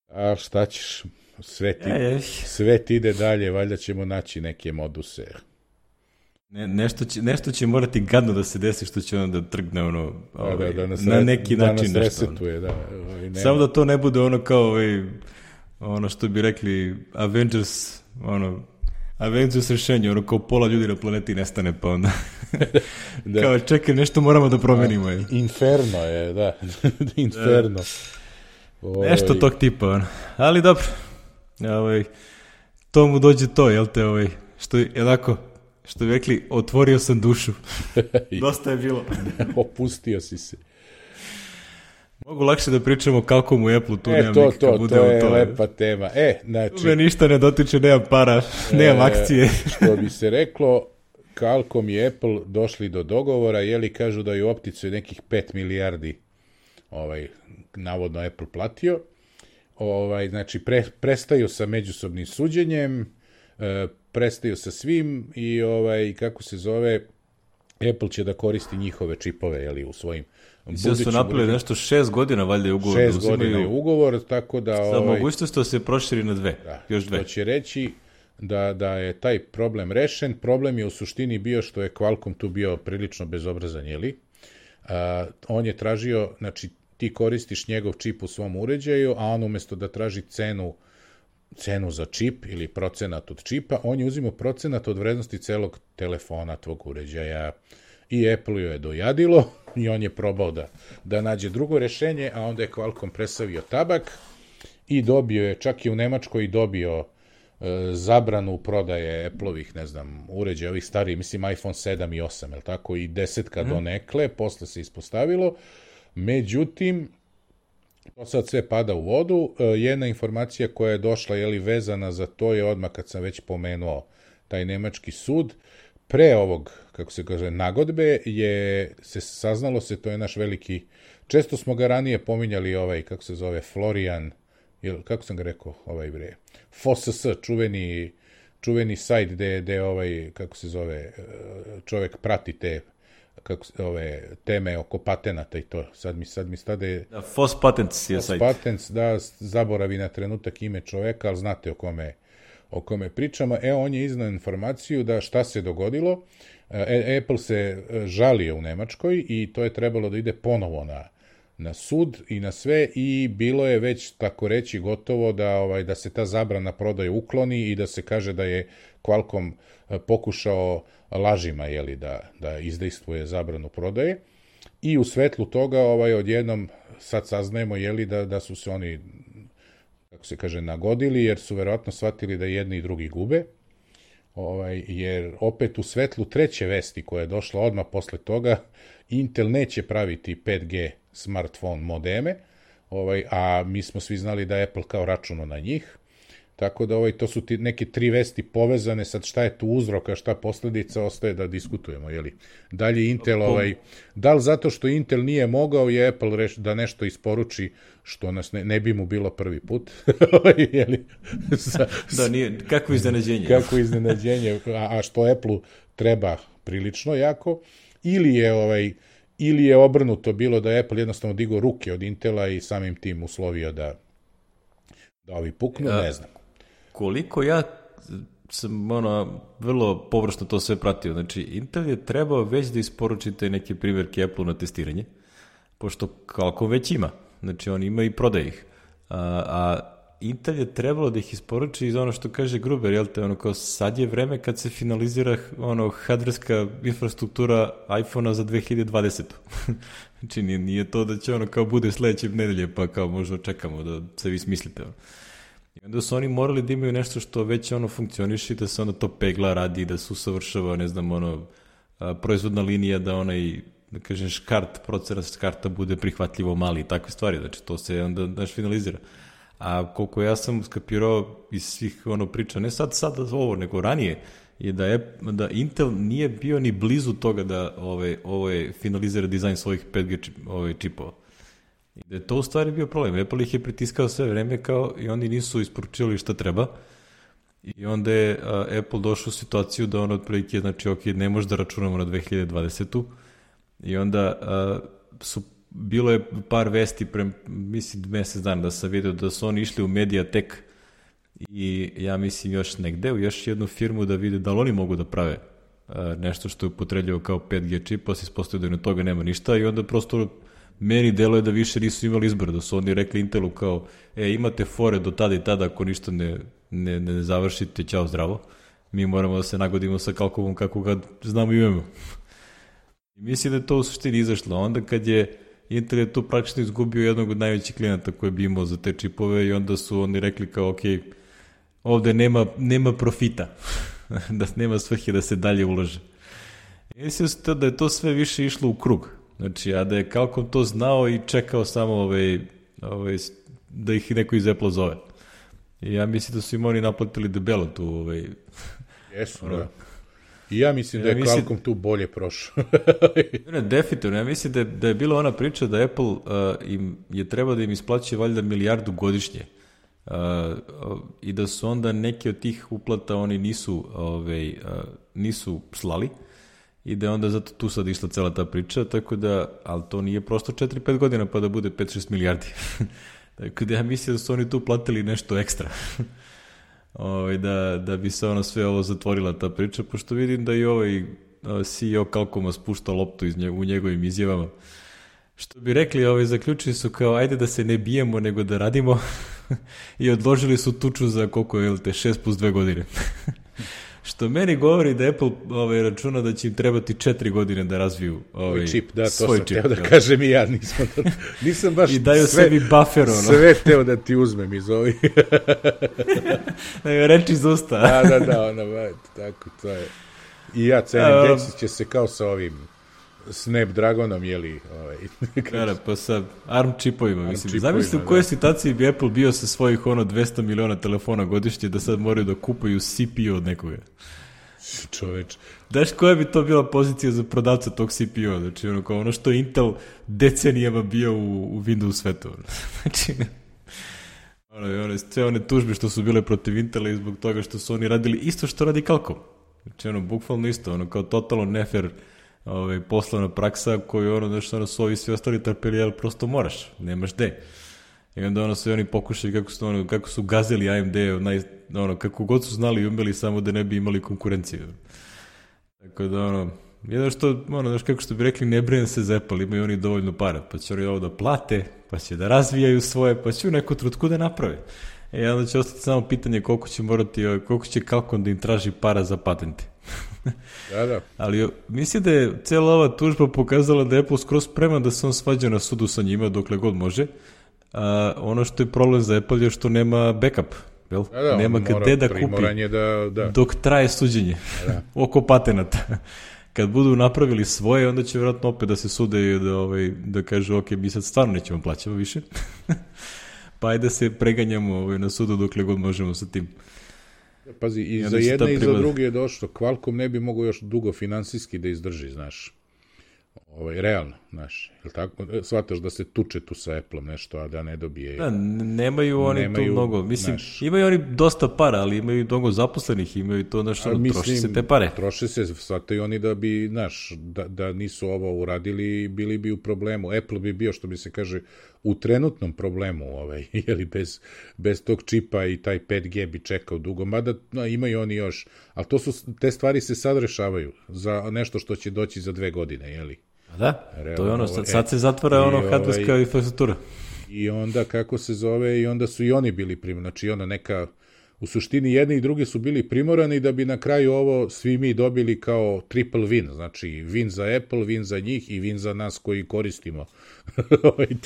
B: A šta ćeš, svet, ide, svet ide dalje, valjda ćemo naći neke moduse.
A: Ne, nešto, će, nešto će morati gadno da se desi što će onda trgne ono, ovaj,
B: da, da, da
A: na neki
B: da
A: način
B: nas
A: nešto.
B: Resetuje, da, ovaj,
A: samo da to ne bude ono kao ovaj, ono što bi rekli Avengers, ono, Avengers rešenje, ono kao pola ljudi na planeti nestane, pa onda da. Kao čekaj, nešto moramo da promenimo. Je.
B: Inferno je, da, Inferno.
A: Oj. Nešto tog tipa, ono. Ali dobro, ovaj, to mu dođe to, jel te, ovaj, što je jednako, što bi rekli, otvorio sam dušu. Dosta je bilo.
B: Opustio si se.
A: Mogu lakše da pričamo kako mu Apple, tu
B: e,
A: nemam
B: to,
A: nikakav
B: to,
A: udeo.
B: To je
A: to
B: lepa tema. E, znači...
A: Tu me ništa ne dotiče, nemam para, nemam e, akcije.
B: Što bi se reklo, Qualcomm i Apple došli do dogovora, jeli kažu da je u optici nekih pet milijardi ovaj, navodno Apple platio. Ovaj, znači, pre, prestaju sa međusobnim suđenjem, e, prestaju sa svim i, ovaj, kako se zove, Apple će da koristi njihove čipove, jeli, u svojim
A: budućim... Sve su napravili nešto šest godina, valjda je ugovor.
B: Šest da godina je ugovor, tako da...
A: Sa
B: ovaj,
A: mogućnost da se proširi na dve,
B: da,
A: još dve.
B: To će reći da, da je taj problem rešen. Problem je u suštini bio što je Qualcomm tu bio prilično bezobrazan, jeli? A, on je tražio, znači, ti koristiš njegov čip u svom uređaju, a on umjesto da traži cenu cenu za čip ili procenat od čipa, on je uzimao procenat od vrednosti celog telefona tvog uređaja. I Apple je dojadilo i on je probao da, da nađe drugo rešenje, a onda je Qualcomm presavio tabak i dobio je, čak i u Nemačkoj dobio e, zabranu prodaje Apple-ovih, ne znam, uređaja, ovih starih, mislim iPhone sedam i osam, je tako, i desetka mm. donekle, posle se ispostavilo. Međutim, to sad sve pada u vodu. E, jedna informacija koja je došla, jeli, vezana za to je odmah kad sam već pomenuo taj nemački sud. Pre ovog, kako se kaže, nagodbe je se saznalo se, to je naš veliki, često smo ga ranije pominjali, ovaj, kako se zove, Florian, ili, kako sam ga rekao, ovaj bre, F O S S, čuveni, čuveni sajt gde, gde ovaj, kako se zove, čovek prati te kako ove teme oko patenata i to. Sad mi sad mi stade
A: da, F O S Patents je sajt.
B: F O S Patents, da, zaboravi na trenutak ime čoveka, ali znate o kome o kome pričamo. E, on je iznao informaciju da šta se dogodilo. E, Apple se žalio u Nemačkoj i to je trebalo da ide ponovo na, na sud i na sve i bilo je već, tako reći, gotovo da, ovaj, da se ta zabrana prodaje ukloni i da se kaže da je Qualcomm pokušao lažima, jeli, da, da izdejstvuje zabranu prodaje. I u svetlu toga ovaj, odjednom sad saznajemo, jeli, da, da su se oni, kako se kaže, nagodili, jer su verovatno shvatili da jedni i drugi gube, ovaj, jer opet u svetlu treće vesti koja je došla odmah posle toga, Intel neće praviti pet G smartphone modeme, ovaj, a mi smo svi znali da Apple kao računo na njih, tako da ovaj, to su ti neke tri vesti povezane, sad šta je tu uzrok, a šta posledica, ostaje da diskutujemo, jeli. Dalje Intel, ovaj, da li zato što Intel nije mogao je Apple reš, da nešto isporuči što nas ne, ne bi mu bilo prvi put, jeli. Sa,
A: da, nije, kako iznenađenje.
B: Kako iznenađenje, a, a što Apple-u treba prilično jako, ili je ovaj, ili je obrnuto bilo da je Apple jednostavno digao ruke od Intela i samim tim uslovio da da ovi puknu, ne znam.
A: Koliko ja sam ono, vrlo površno to sve pratio, znači Intel je trebao već da isporučite neke primjerke Apple na testiranje, pošto Qualcomm već ima, znači on ima i prodaje ih, a, a Intel je trebalo da ih isporuči iz ono što kaže Gruber, jel te, ono kao sad je vreme kad se finalizira ono hardverska infrastruktura iPhone-a za dve hiljade dvadesete. Znači nije, nije to da će ono kao bude sledeće nedelje pa kao možda čekamo da se vi smislite. I onda su oni morali da imaju nešto što već ono funkcioniše, da se onda to pegla, radi, da se usavršava, ne znam, ono, a, proizvodna linija, da onaj, da kažem, škart, procenat škarta bude prihvatljivo mali i takve stvari, znači to se onda daš finalizira. A koliko ja sam skapirao iz svih ono priča, ne sad, sad ovo, nego ranije, je da, je da Intel nije bio ni blizu toga da ovaj, ovaj finalizira dizajn svojih pet G čip, ovaj, čipova. I da je to u stvari bio problem. Apple ih je pritiskao sve vreme kao i oni nisu isporučili šta treba. I onda je a, Apple došao u situaciju da on otprilike, znači ok, ne može da računamo na dve hiljade dvadesetu. I onda a, su bilo je par vesti pre, mislim, mesec dana da sam vidio da su oni išli u Mediatek i ja mislim još negde, u još jednu firmu da vide da li oni mogu da prave uh, nešto što je upotrebljivo kao pet G čip, pa se ispostavio da na toga nema ništa i onda prosto meni deluje da više nisu imali izbor, da su oni rekli Intelu kao, e, imate fore do tada i tada, ako ništa ne, ne, ne završite, ćao zdravo. Mi moramo da se nagodimo sa Qualcommom kako ga znamo i imamo. I mislim da je to u suštini izašlo. Onda kad je Intel je tu praktično izgubio jednog od najvećih klijenata koji bi imao za te čipove i onda su oni rekli kao, ok, ovde nema, nema profita, da nema svrhe da se dalje ulaže. I mislim da je to sve više išlo u krug. Znači, a da je Qualcomm to znao i čekao samo ovaj, ovaj, da ih neko iz Apple zove. I ja mislim da su im oni naplatili debelo tu. Ovaj,
B: Jesu, ono, da. I ja mislim da je ja mislim, Qualcomm tu bolje prošao.
A: ne, definitivno. Ja mislim da je, da je bila ona priča da Apple uh, im je treba da im isplaćuje valjda milijardu godišnje. Uh, uh, I da su onda neke od tih uplata oni nisu, ovaj, uh, nisu slali. I da je onda zato tu sad išla cela ta priča, tako da, ali to nije prosto četiri pet godina pa da bude pet šest milijardi. Tako da ja mislim da su oni tu platili nešto ekstra. Ovaj, da, da bi se ono sve ovo zatvorila ta priča, pošto vidim da i ovaj C E O Qualcomma spušta loptu iz nje, u njegovim izjavama. Što bi rekli, ovaj, zaključili su kao, ajde da se ne bijemo, nego da radimo i odložili su tuču za koliko je, te šest plus dve godine. Što meni govori da Apple ovaj, računa da će im trebati četiri godine da razviju ovaj,
B: čip, da, to
A: svoj
B: sam
A: čip.
B: Teo da kažem i ja, nisam, da, nisam baš
A: I daju
B: sve,
A: sebi buffer, ono.
B: Sve teo da ti uzmem iz ovih.
A: Da je reči iz usta.
B: da, da, da, ono, tako, to je. I ja cenim, desit će se kao sa ovim Snapdragonom, jeli, ovaj.
A: Kada, pa sa ARM čipovima,
B: ARM
A: mislim.
B: čipovima,
A: zamisli u kojoj situaciji bi Apple bio sa svojih ono dvesta miliona telefona godišnje da sad moraju da kupuju C P U od nekoga.
B: Čoveč.
A: Daš koja bi to bila pozicija za prodavca tog C P U-a? Znači, ono, kao ono što je Intel decenijama bio u, u Windows svetu. Znači, ono, one, sve one tužbe što su bile protiv Intela i zbog toga što su oni radili isto što radi Qualcomm. Znači, ono, bukvalno isto, ono, kao totalno nefer ovaj, poslovna praksa koju, ono, znaš, ono, su ovi svi ostali trpeli, ali prosto moraš, nemaš gde. I onda, ono, sve oni pokušali kako su, ono, kako su gazili A M D, naj, ono, kako god su znali i umeli, samo da ne bi imali konkurenciju. Tako da, ono, jedno što, ono, znaš, kako što bi rekli, ne brine se za Apple, imaju oni dovoljno para, pa će oni ovo da plate, pa će da razvijaju svoje, pa će u neku trutku da naprave. E, onda će ostati samo pitanje koliko će morati, koliko će Qualcomm da im traži para za patente.
B: Da, da.
A: Ali mislim da je cijela ova tužba pokazala da je Apple skroz spreman da se on svađa na sudu sa njima dokle god može. A, ono što je problem za Apple je što nema backup. Jel?
B: Da, da,
A: nema gde da kupi
B: da, da.
A: dok traje suđenje da. oko patenata. Kad budu napravili svoje, onda će vjerojatno opet da se sude i da, ovaj, da kažu ok, mi sad stvarno nećemo plaćamo više. Pa ajde da se preganjamo ovaj, na sudu dokle god možemo sa tim.
B: Pazi, i, I za jedne i za druge je došlo. Qualcomm ne bi mogao još dugo finansijski da izdrži, znaš. Ovaj, realno, znaš. Jel tako? Shvataš da se tuče tu sa Apple-om nešto, a da ne dobije.
A: Da, nemaju oni nemaju, tu mnogo. Mislim, naš, imaju oni dosta para, ali imaju mnogo zaposlenih, imaju to nešto, ono, troši se te pare.
B: Troši se, shvataju oni da bi, znaš, da, da nisu ovo uradili, bili bi u problemu. Apple bi bio, što bi se kaže, u trenutnom problemu, ovaj, jeli, bez, bez tog čipa i taj pet G bi čekao dugo, mada no, imaju oni još, ali to su, te stvari se sad rešavaju za nešto što će doći za dve godine, jeli?
A: Da, realno, to je ono, sad, sad se zatvara ono hardverska ovaj, infrastruktura.
B: I onda, kako se zove, i onda su i oni bili primorani, znači ono neka, u suštini jedni i drugi su bili primorani da bi na kraju ovo svi mi dobili kao triple win, znači win za Apple, win za njih i win za nas koji koristimo.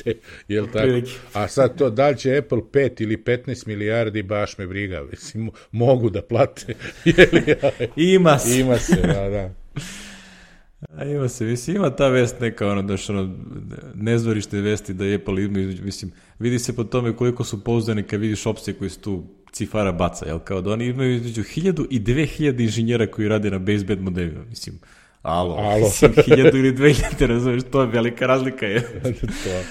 B: Te, jel tako? A sad to, da li će Apple pet ili petnaest milijardi, baš me briga, mislim, mogu da plate.
A: Ima se.
B: Ima se, da, da.
A: A ima se, mislim, ima ta vest neka, ono, daš, ono, nezvorište vesti da je Apple ima, mislim, vidi se po tome koliko su pouzdani kad vidiš opcije koji su tu cifara baca, jel, kao da oni imaju između hiljadu i dve hiljade inženjera koji rade na baseband modelima, mislim, alo, alo. Mislim, hiljadu ili dve hiljade, razumiješ, to je velika razlika, je. to...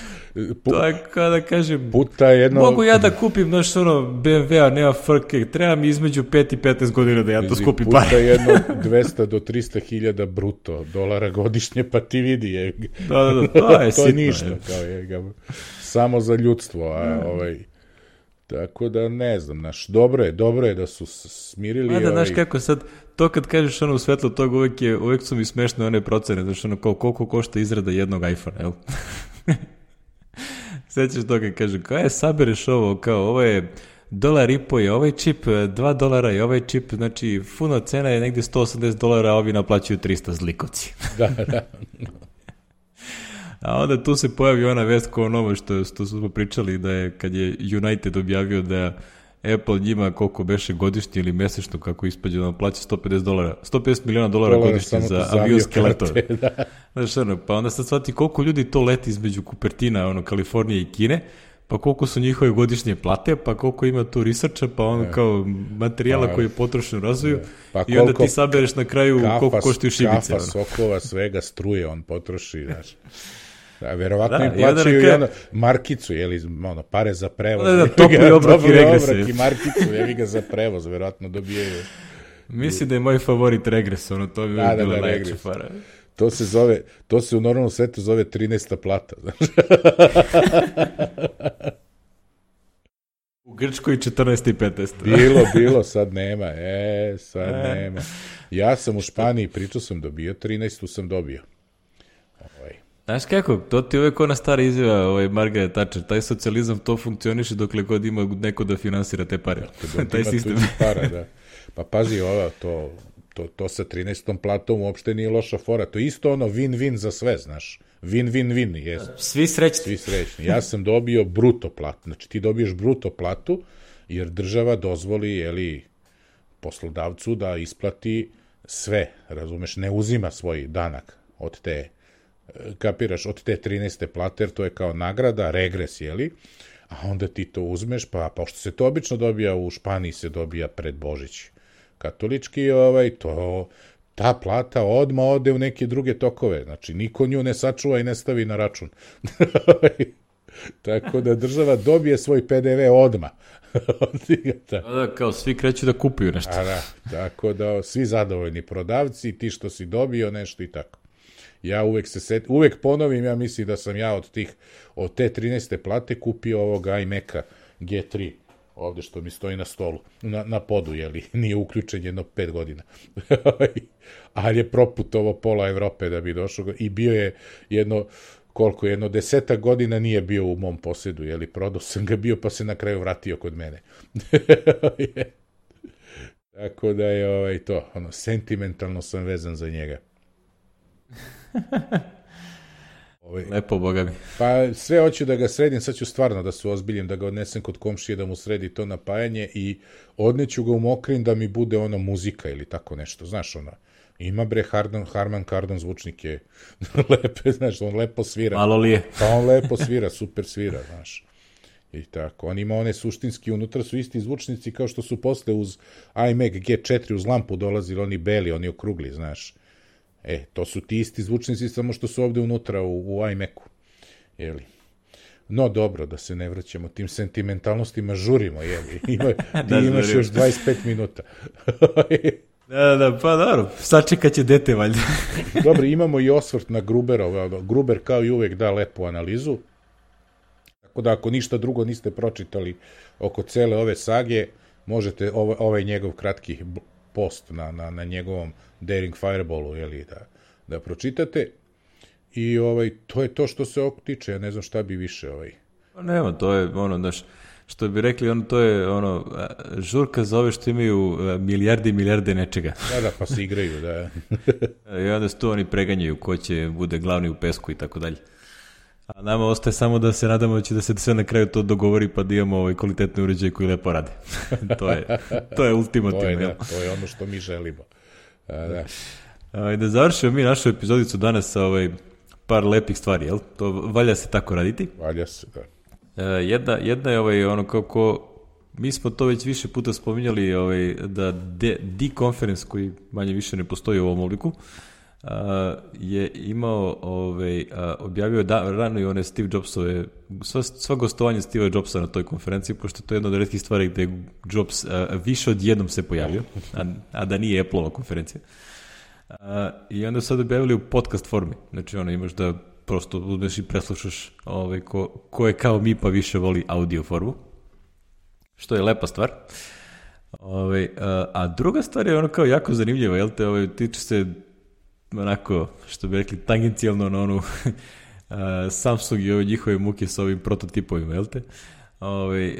A: Pu... To je kao da kažem,
B: puta jedno...
A: mogu ja da kupim, znaš, ono, B M W-a, nema frke, treba mi između pet i petnaest godina da ja to skupim pare.
B: Puta jedno dvesta do trista hiljada bruto dolara godišnje, pa ti vidi, je.
A: Da, da, da, to je
B: to
A: sitno.
B: Ništa, je. Kao je, samo za ljudstvo, a ovaj... Tako da ne znam, znaš, dobro je, dobro je da su smirili...
A: A da,
B: ovaj...
A: znaš kako sad, to kad kažeš ono u svetlo toga, uvek, je, uvek su mi smešne one procene, znaš, ono, kao koliko košta izrada jednog iPhone, jel? Sećaš toga, kaže, kao je, sabereš ovo, kao, ovo je dolar i po je ovaj čip, dva dolara je ovaj čip, znači, funo cena je negdje sto osamdeset dolara, a ovi naplaćuju trista zlikovci.
B: Da, da.
A: A onda tu se pojavi ona vest kao novo što, što smo pričali, da je, kad je United objavio da Apple njima koliko beše godišnje ili mesečno, kako ispađe, da plaća sto pedeset dolara, sto pedeset miliona dolara
B: Dolara
A: godišnje za,
B: za
A: avionske letove.
B: Da.
A: Znaš, ono, pa onda sad shvati koliko ljudi to leti između Kupertina, ono, Kalifornije i Kine, pa koliko su njihove godišnje plate, pa koliko ima tu researcha, pa ono e. kao materijala pa, koji je potrošen u razvoju, pa i onda ti sabereš na kraju kafa, koliko koštaju šibice.
B: Kafa, ono. Sokova, svega, struje on potroši, znaš. A verovatno da, im plaćaju i ono, markicu, jeli, ono, pare za prevoz.
A: Da, da, topli obrok i regres.
B: Obrak i markicu, jevi ga za prevoz, verovatno dobijaju.
A: Mislim da je moj favorit regres, ono, to bi da, bilo da, najjače para.
B: To se zove, to se u normalnom svetu zove trinaesta plata, znaš.
A: U Grčkoj četrnaesta i petnaesta.
B: Bilo, bilo, sad nema, e, sad e. nema. Ja sam u Španiji, pričao sam dobio, trinaestu sam dobio. Ovaj.
A: Znaš kako, to ti uvek ona stara izjava, ovaj Margaret Thatcher, taj socijalizam to funkcioniše dokle god ima neko da finansira te pare. Taj sistem.
B: Para, da. Pa pazi ova, to, to, to sa trinaestom platom uopšte nije loša fora. To je isto ono win-win za sve, znaš. Win-win-win, jes.
A: Svi srećni.
B: Svi srećni. Ja sam dobio bruto platu. Znači ti dobiješ bruto platu, jer država dozvoli, jeli, poslodavcu da isplati sve, razumeš, ne uzima svoj danak od te, kapiraš, od te trinaeste plate, jer to je kao nagrada, regres, jeli, a onda ti to uzmeš, pa pošto se to obično dobija u Španiji, se dobija pred Božić katolički, ovaj, to, ta plata odmah ode u neke druge tokove, znači niko nju ne sačuva i ne stavi na račun. Tako da država dobije svoj pe de ve odmah.
A: Da, kao svi kreću da kupuju nešto.
B: A da, tako da svi zadovoljni prodavci, ti što si dobio nešto i tako. Ja uvek se set, uvek ponovim, ja mislim da sam ja od tih, od te trinaeste plate kupio ovog iMac-a ge tri, ovde što mi stoji na stolu, na, na podu, jeli, nije uključen jedno pet godina. Ali je proputovo pola Evrope da bi došao i bio je jedno, koliko, jedno desetak godina nije bio u mom posedu, jeli, prodao sam ga bio pa se na kraju vratio kod mene. Tako da je ovaj, to, ono, sentimentalno sam vezan za njega.
A: Ovaj, lepo, boga mi.
B: Pa sve hoću da ga sredim, sad ću stvarno da se ozbiljim, da ga odnesem kod komšije, da mu sredi to napajanje i odneću ga u Mokrin da mi bude ono muzika ili tako nešto, znaš ono. Ima bre Harman, Harman Kardon zvučnike lepe, znaš, on lepo svira.
A: Malo li je.
B: Pa on lepo svira, super svira, znaš. I tako, on ima one suštinski, unutra su isti zvučnici kao što su posle uz iMac ge četiri uz lampu dolazili, oni beli, oni okrugli, znaš. E, to su ti isti zvučnici, samo što su ovde unutra u, u iMacu. Jeli? No dobro, da se ne vraćamo tim sentimentalnostima, žurimo, jeli? Ima, da, ti imaš još dvadeset pet minuta.
A: Da, da, pa dobro, sačekat će dete, valjda.
B: Dobro, imamo i osvrt na Gruberov. Gruber kao i uvek da lepu analizu. Tako da ako ništa drugo niste pročitali oko cele ove sage, možete ovaj, ovaj njegov kratki post na, na, na njegovom Daring Fireballu, jeli, da, da pročitate. I ovaj, to je to što se ovog tiče, ja ne znam šta bi više ovaj.
A: Pa nema, to je ono, znaš, što bi rekli, ono, to je ono, žurka za ove što imaju milijarde i milijarde nečega.
B: Da, da, pa se igraju, da.
A: I onda su tu oni preganjaju ko će bude glavni u pesku i tako dalje. A nama ostaje samo da se nadamo da će da se sve na kraju to dogovori pa da imamo ovaj kvalitetne uređaje koji lepo rade. to je, to je ultimativno.
B: To je, da, to je ono što mi želimo. A, da.
A: A, da završimo mi našu epizodicu danas sa ovaj par lepih stvari, jel? To valja se tako raditi.
B: Valja se, da.
A: E, jedna, jedna je ovaj, ono kako, mi smo to već više puta spominjali, ovaj, da D-Conference, koji manje više ne postoji u ovom obliku, Uh, je imao, ovaj, uh, objavio da, rano i one Steve Jobsove, sva, sva gostovanje Steve Jobsa na toj konferenciji, pošto to je jedna od retkih stvari gde je Jobs uh, više od jednom se pojavio, a, a da nije Apple-ova konferencija. Uh, I onda su sad objavili u podcast formi, znači ono, imaš da prosto uzmeš i preslušaš ovaj, ko, ko je kao mi pa više voli audio formu, što je lepa stvar. Ovaj, uh, a druga stvar je ono kao jako zanimljiva, jel te, ovaj, tiče se onako, što bi rekli, tangencijalno na onu Samsung i ove njihove muke sa ovim prototipovima, jel te? Ove,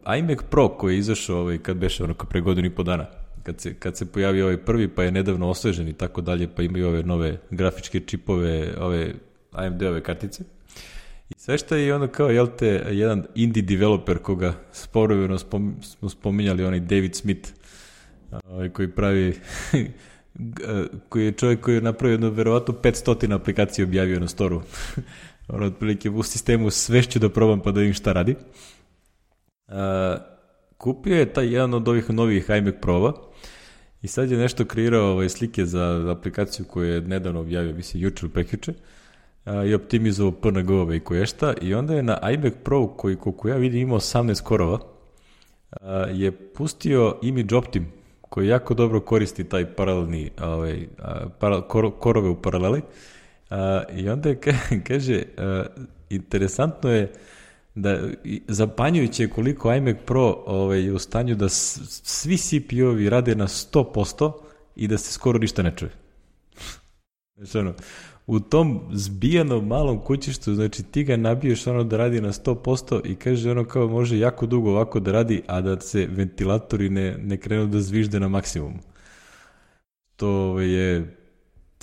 A: uh, iMac Pro koji je izašao ovaj, kad beše ono pre godinu i po dana, kad se, kad se pojavio ovaj prvi, pa je nedavno osvežen i tako dalje, pa imaju ove nove grafičke čipove, ove A M D-ove kartice. I sve što je ono kao, jel te, jedan indie developer koga sporoveno spom, smo spominjali, onaj David Smith, ovaj, koji pravi, koji je čovjek koji je napravio jedno, verovatno, petsto aplikacija objavio na storu. Ono, otprilike u sistemu sve ću da probam pa da vidim šta radi. Uh, kupio je taj jedan od ovih novih iMac Pro-a i sad je nešto kreirao ovaj, slike za aplikaciju koju je nedavno objavio, mislim, jučer ili prekjuče, uh, i optimizovao P N G-ove i koješta, i onda je na iMac Pro, koji koliko ja vidim ima osamnaest korova, uh, je pustio Image Optim, koji jako dobro koristi taj paralelni, ovaj, para, kor, korove u paraleli. Uh, I onda je, kaže, uh, interesantno je da zapanjujuće koliko iMac Pro ovaj, je u stanju da s, svi C P U-ovi rade na sto posto i da se skoro ništa ne čuje. Znači, ono, u tom zbijanom malom kućištu, znači ti ga nabiješ ono da radi na sto posto i kaže ono kao može jako dugo ovako da radi, a da se ventilatori ne, ne krenu da zvižde na maksimum. To je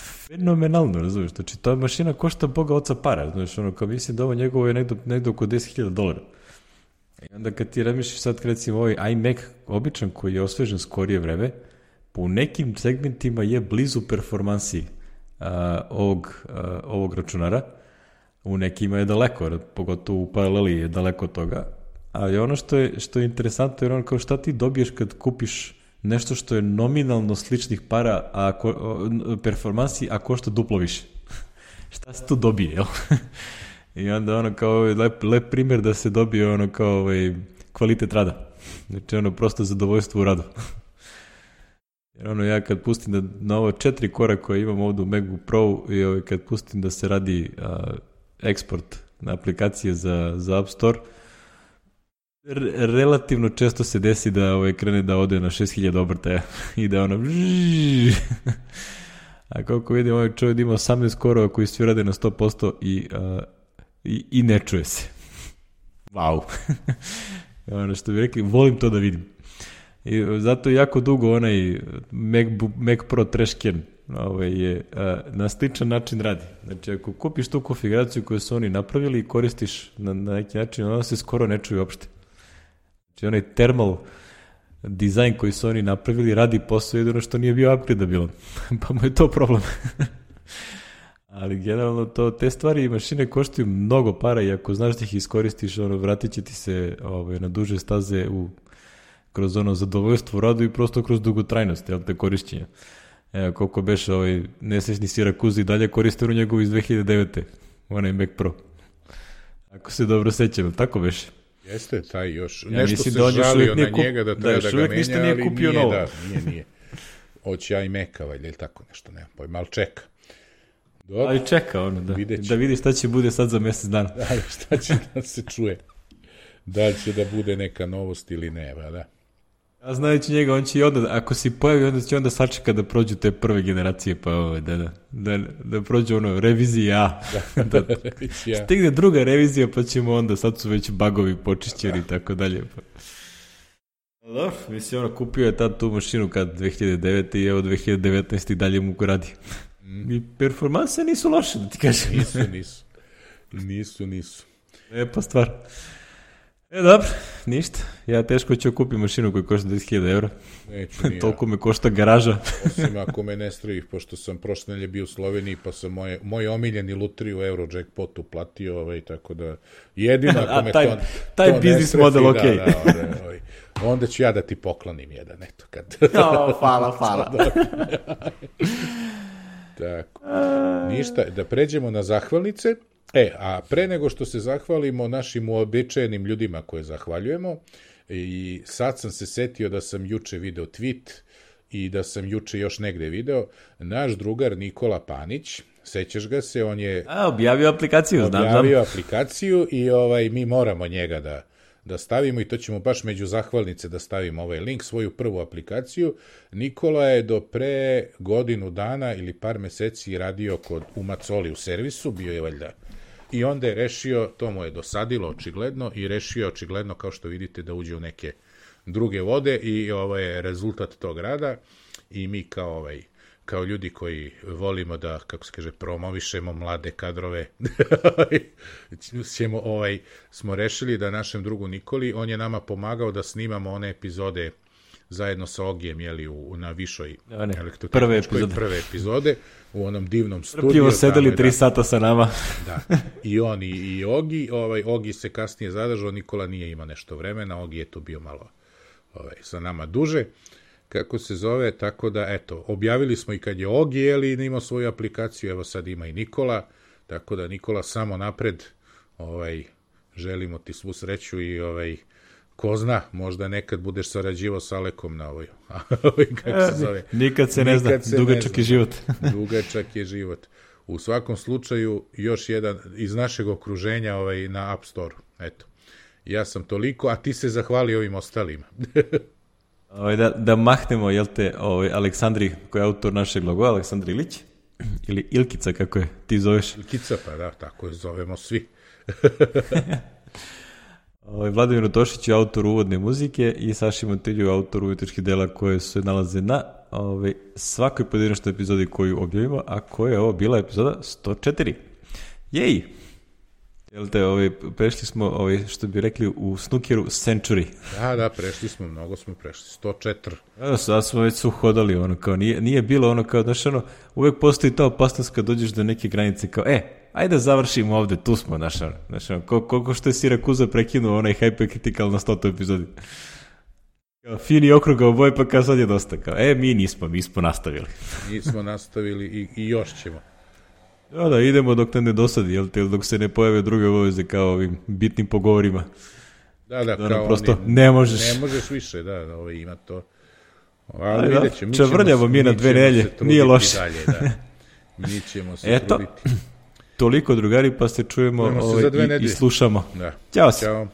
A: fenomenalno, razumiješ? Znači, ta mašina košta boga oca para, znači, ono, kao mislim da ovo njegovo je negdje, negdje oko deset hiljada dolara. I onda kad ti razmišljaš sad, recimo, ovaj iMac običan koji je osvežen skorije vreme, po nekim segmentima je blizu performansi uh, ovog, uh, ovog računara, u nekima je daleko, pogotovo u paraleli je daleko od toga, ali ono što je, što je interesantno je ono kao šta ti dobiješ kad kupiš nešto što je nominalno sličnih para, a ko, performansi, a košta duplo više. Šta se tu dobije, jel? I onda ono kao lep, lep primjer da se dobije ono kao ovaj, kvalitet rada. Znači ono prosto zadovoljstvo u radu. Jer ono ja kad pustim da na ovo četiri kora koje imam ovdje u MacBook Pro i ovaj, kad pustim da se radi a, eksport na aplikacije za, za App Store, relativno često se desi da ovaj krene da ode na šest hiljada obrtaja i da ono a koliko vidim ovaj čovjek ima osamnaest korova koji svi rade na sto posto i, uh, i, i ne čuje se. Wow. Ono što bi rekli, volim to da vidim. I zato jako dugo onaj MacBook, Mac Pro trash can ovaj, je, uh, na sličan način radi. Znači ako kupiš tu konfiguraciju koju su oni napravili i koristiš na, na neki način, ona se skoro ne čuje uopšte. Znači onaj thermal dizajn koji su oni napravili radi posao jedino što nije bio upgradeabilan. Pa mu je to problem. Ali generalno to, te stvari i mašine koštaju mnogo para i ako znaš da ih iskoristiš, ono, vratit će ti se ovaj, na duže staze u, kroz ono zadovoljstvo u radu i prosto kroz dugotrajnost, jel te korišćenja. Evo koliko beše ovaj nesrećni Sirakuzi dalje koriste u njegovu iz dve hiljade devete. Onaj Mac Pro. Ako se dobro sećam, tako beše.
B: Jeste, taj još.
A: Ja
B: nešto se
A: da
B: žalio na
A: kup...
B: njega da treba da, da ga menja,
A: nije
B: ali
A: kupio
B: nije,
A: novo.
B: da, nije, nije. Hoće iMac-a, valjda, ili tako nešto, nema pojma, ali čeka. Dobro.
A: Ali čeka ono, da,
B: Videći.
A: da vidi šta će bude sad za mjesec dana.
B: Da, šta će da se čuje. Da li će da bude neka novost ili ne, ba, da.
A: A znajući njega, on će i onda, ako si pojavi, onda će onda sačeka da prođu te prve generacije, pa ovo, da, da, da, da prođu ono, revizija A. Da, da, revizija. Stigne druga revizija, pa ćemo onda, sad su već bagovi počišćeni i tako dalje. Pa. Dobro, mislim, ono, kupio je tad tu mašinu kad dve hiljade devete i evo dve hiljade devetnaeste i dalje mu radi. Mm. I performanse nisu loše, da ti kažem.
B: Nisu, nisu. Nisu, nisu.
A: Lepa stvar. E, dobro, ništa. Ja teško ću kupiti mašinu koja košta deset hiljada eura.
B: Neću ni
A: Toliko me košta garaža.
B: Osim ako me ne strojih, pošto sam prošle nedelje bio u Sloveniji, pa sam moje, moj omiljeni lutri u Eurojackpotu platio, ovaj, tako da jedino ako me
A: taj,
B: to,
A: taj
B: to
A: biznis model,
B: da,
A: okej.
B: Da, onda, ovaj, onda ću ja da ti poklonim jedan, eto, kad...
A: No, hvala, hvala.
B: Tako. Ništa, da pređemo na zahvalnice. E, a pre nego što se zahvalimo našim uobičajenim ljudima koje zahvaljujemo, i sad sam se setio da sam juče video tweet i da sam juče još negde video, naš drugar Nikola Panić, sećaš ga se, on je...
A: A, objavio aplikaciju, znam, znam.
B: Objavio aplikaciju i ovaj, mi moramo njega da, da stavimo i to ćemo baš među zahvalnice da stavimo ovaj link, svoju prvu aplikaciju. Nikola je do pre godinu dana ili par meseci radio kod u Macoli u servisu, bio je valjda I onda je rešio, to mu je dosadilo očigledno, i rešio je očigledno, kao što vidite, da uđe u neke druge vode i ovo je rezultat tog rada. I mi kao, ovaj, kao ljudi koji volimo da, kako se kaže, promovišemo mlade kadrove, ćemo, ovaj, smo rešili da našem drugu Nikoli, on je nama pomagao da snimamo one epizode zajedno sa Ogijem, jeli, u, na višoj
A: prve epizode.
B: prve epizode, u onom divnom studiju.
A: Trpljivo sedeli tri sata sa nama.
B: Da, i on i, i Ogi, ovaj, Ogi se kasnije zadržao, Nikola nije imao nešto vremena, Ogi je tu bio malo ovaj, sa nama duže, kako se zove, tako da, eto, objavili smo i kad je Ogi, jeli, imao svoju aplikaciju, evo sad ima i Nikola, tako da, Nikola, samo napred, ovaj, želimo ti svu sreću i, ovaj, ko zna, možda nekad budeš sarađivao sa Alekom na ovoj, kako se zove.
A: Nikad se ne Nikad zna, dugačak je život.
B: Dugačak je život. U svakom slučaju, još jedan iz našeg okruženja ovaj, na App Store. Eto, ja sam toliko, a ti se zahvali ovim ostalima.
A: Ovaj, da, da mahnemo, jel te, ovaj, Aleksandri, koji je autor našeg logoa, Aleksandar Ilić, ili Ilkica, kako je ti zoveš?
B: Ilkica, pa da, tako je zovemo svi.
A: Ovaj, Vladimir Tošić je autor uvodne muzike i Saši Montilju autor umetničkih dela koje se nalaze na ovaj, svakoj pojedinačnoj epizodi koju objavimo, a koja je ovo bila epizoda sto četiri. Jej! Jel te, ovaj, prešli smo, ovaj, što bi rekli u snookeru, century.
B: Da, da, prešli smo, mnogo smo prešli, sto četiri.
A: Da, sad smo već su hodali, ono, kao, nije, nije bilo ono, kao, znaš, ono, uvek postoji ta opasnost kad dođeš do neke granice, kao, e, ajde da završimo ovde, tu smo, znaš, ono, znaš, ono, kol, koliko što je Sirakuza prekinuo onaj Hypercritical na stotu epizodi. Kao, fini okruga oboje, pa kao sad je dosta, kao, e, mi nismo, mi smo nastavili.
B: Mi smo nastavili i, i još ćemo.
A: Da, da, idemo dok te ne dosadi, jel te, dok se ne pojave druge obaveze kao ovim bitnim pogovorima.
B: Da, da,
A: da
B: kao
A: prosto
B: oni,
A: ne možeš.
B: Ne možeš više, da, da ovaj, ima to. Ali
A: da,
B: vidjet ćemo.
A: Čavrljamo mi na dve nelje, nije loše.
B: Dalje, da. Mi ćemo se
A: Eto,
B: truditi.
A: Toliko, drugari, pa se čujemo ovaj,
B: se
A: i, i slušamo.
B: Da.
A: Ćao se.
B: Ćao.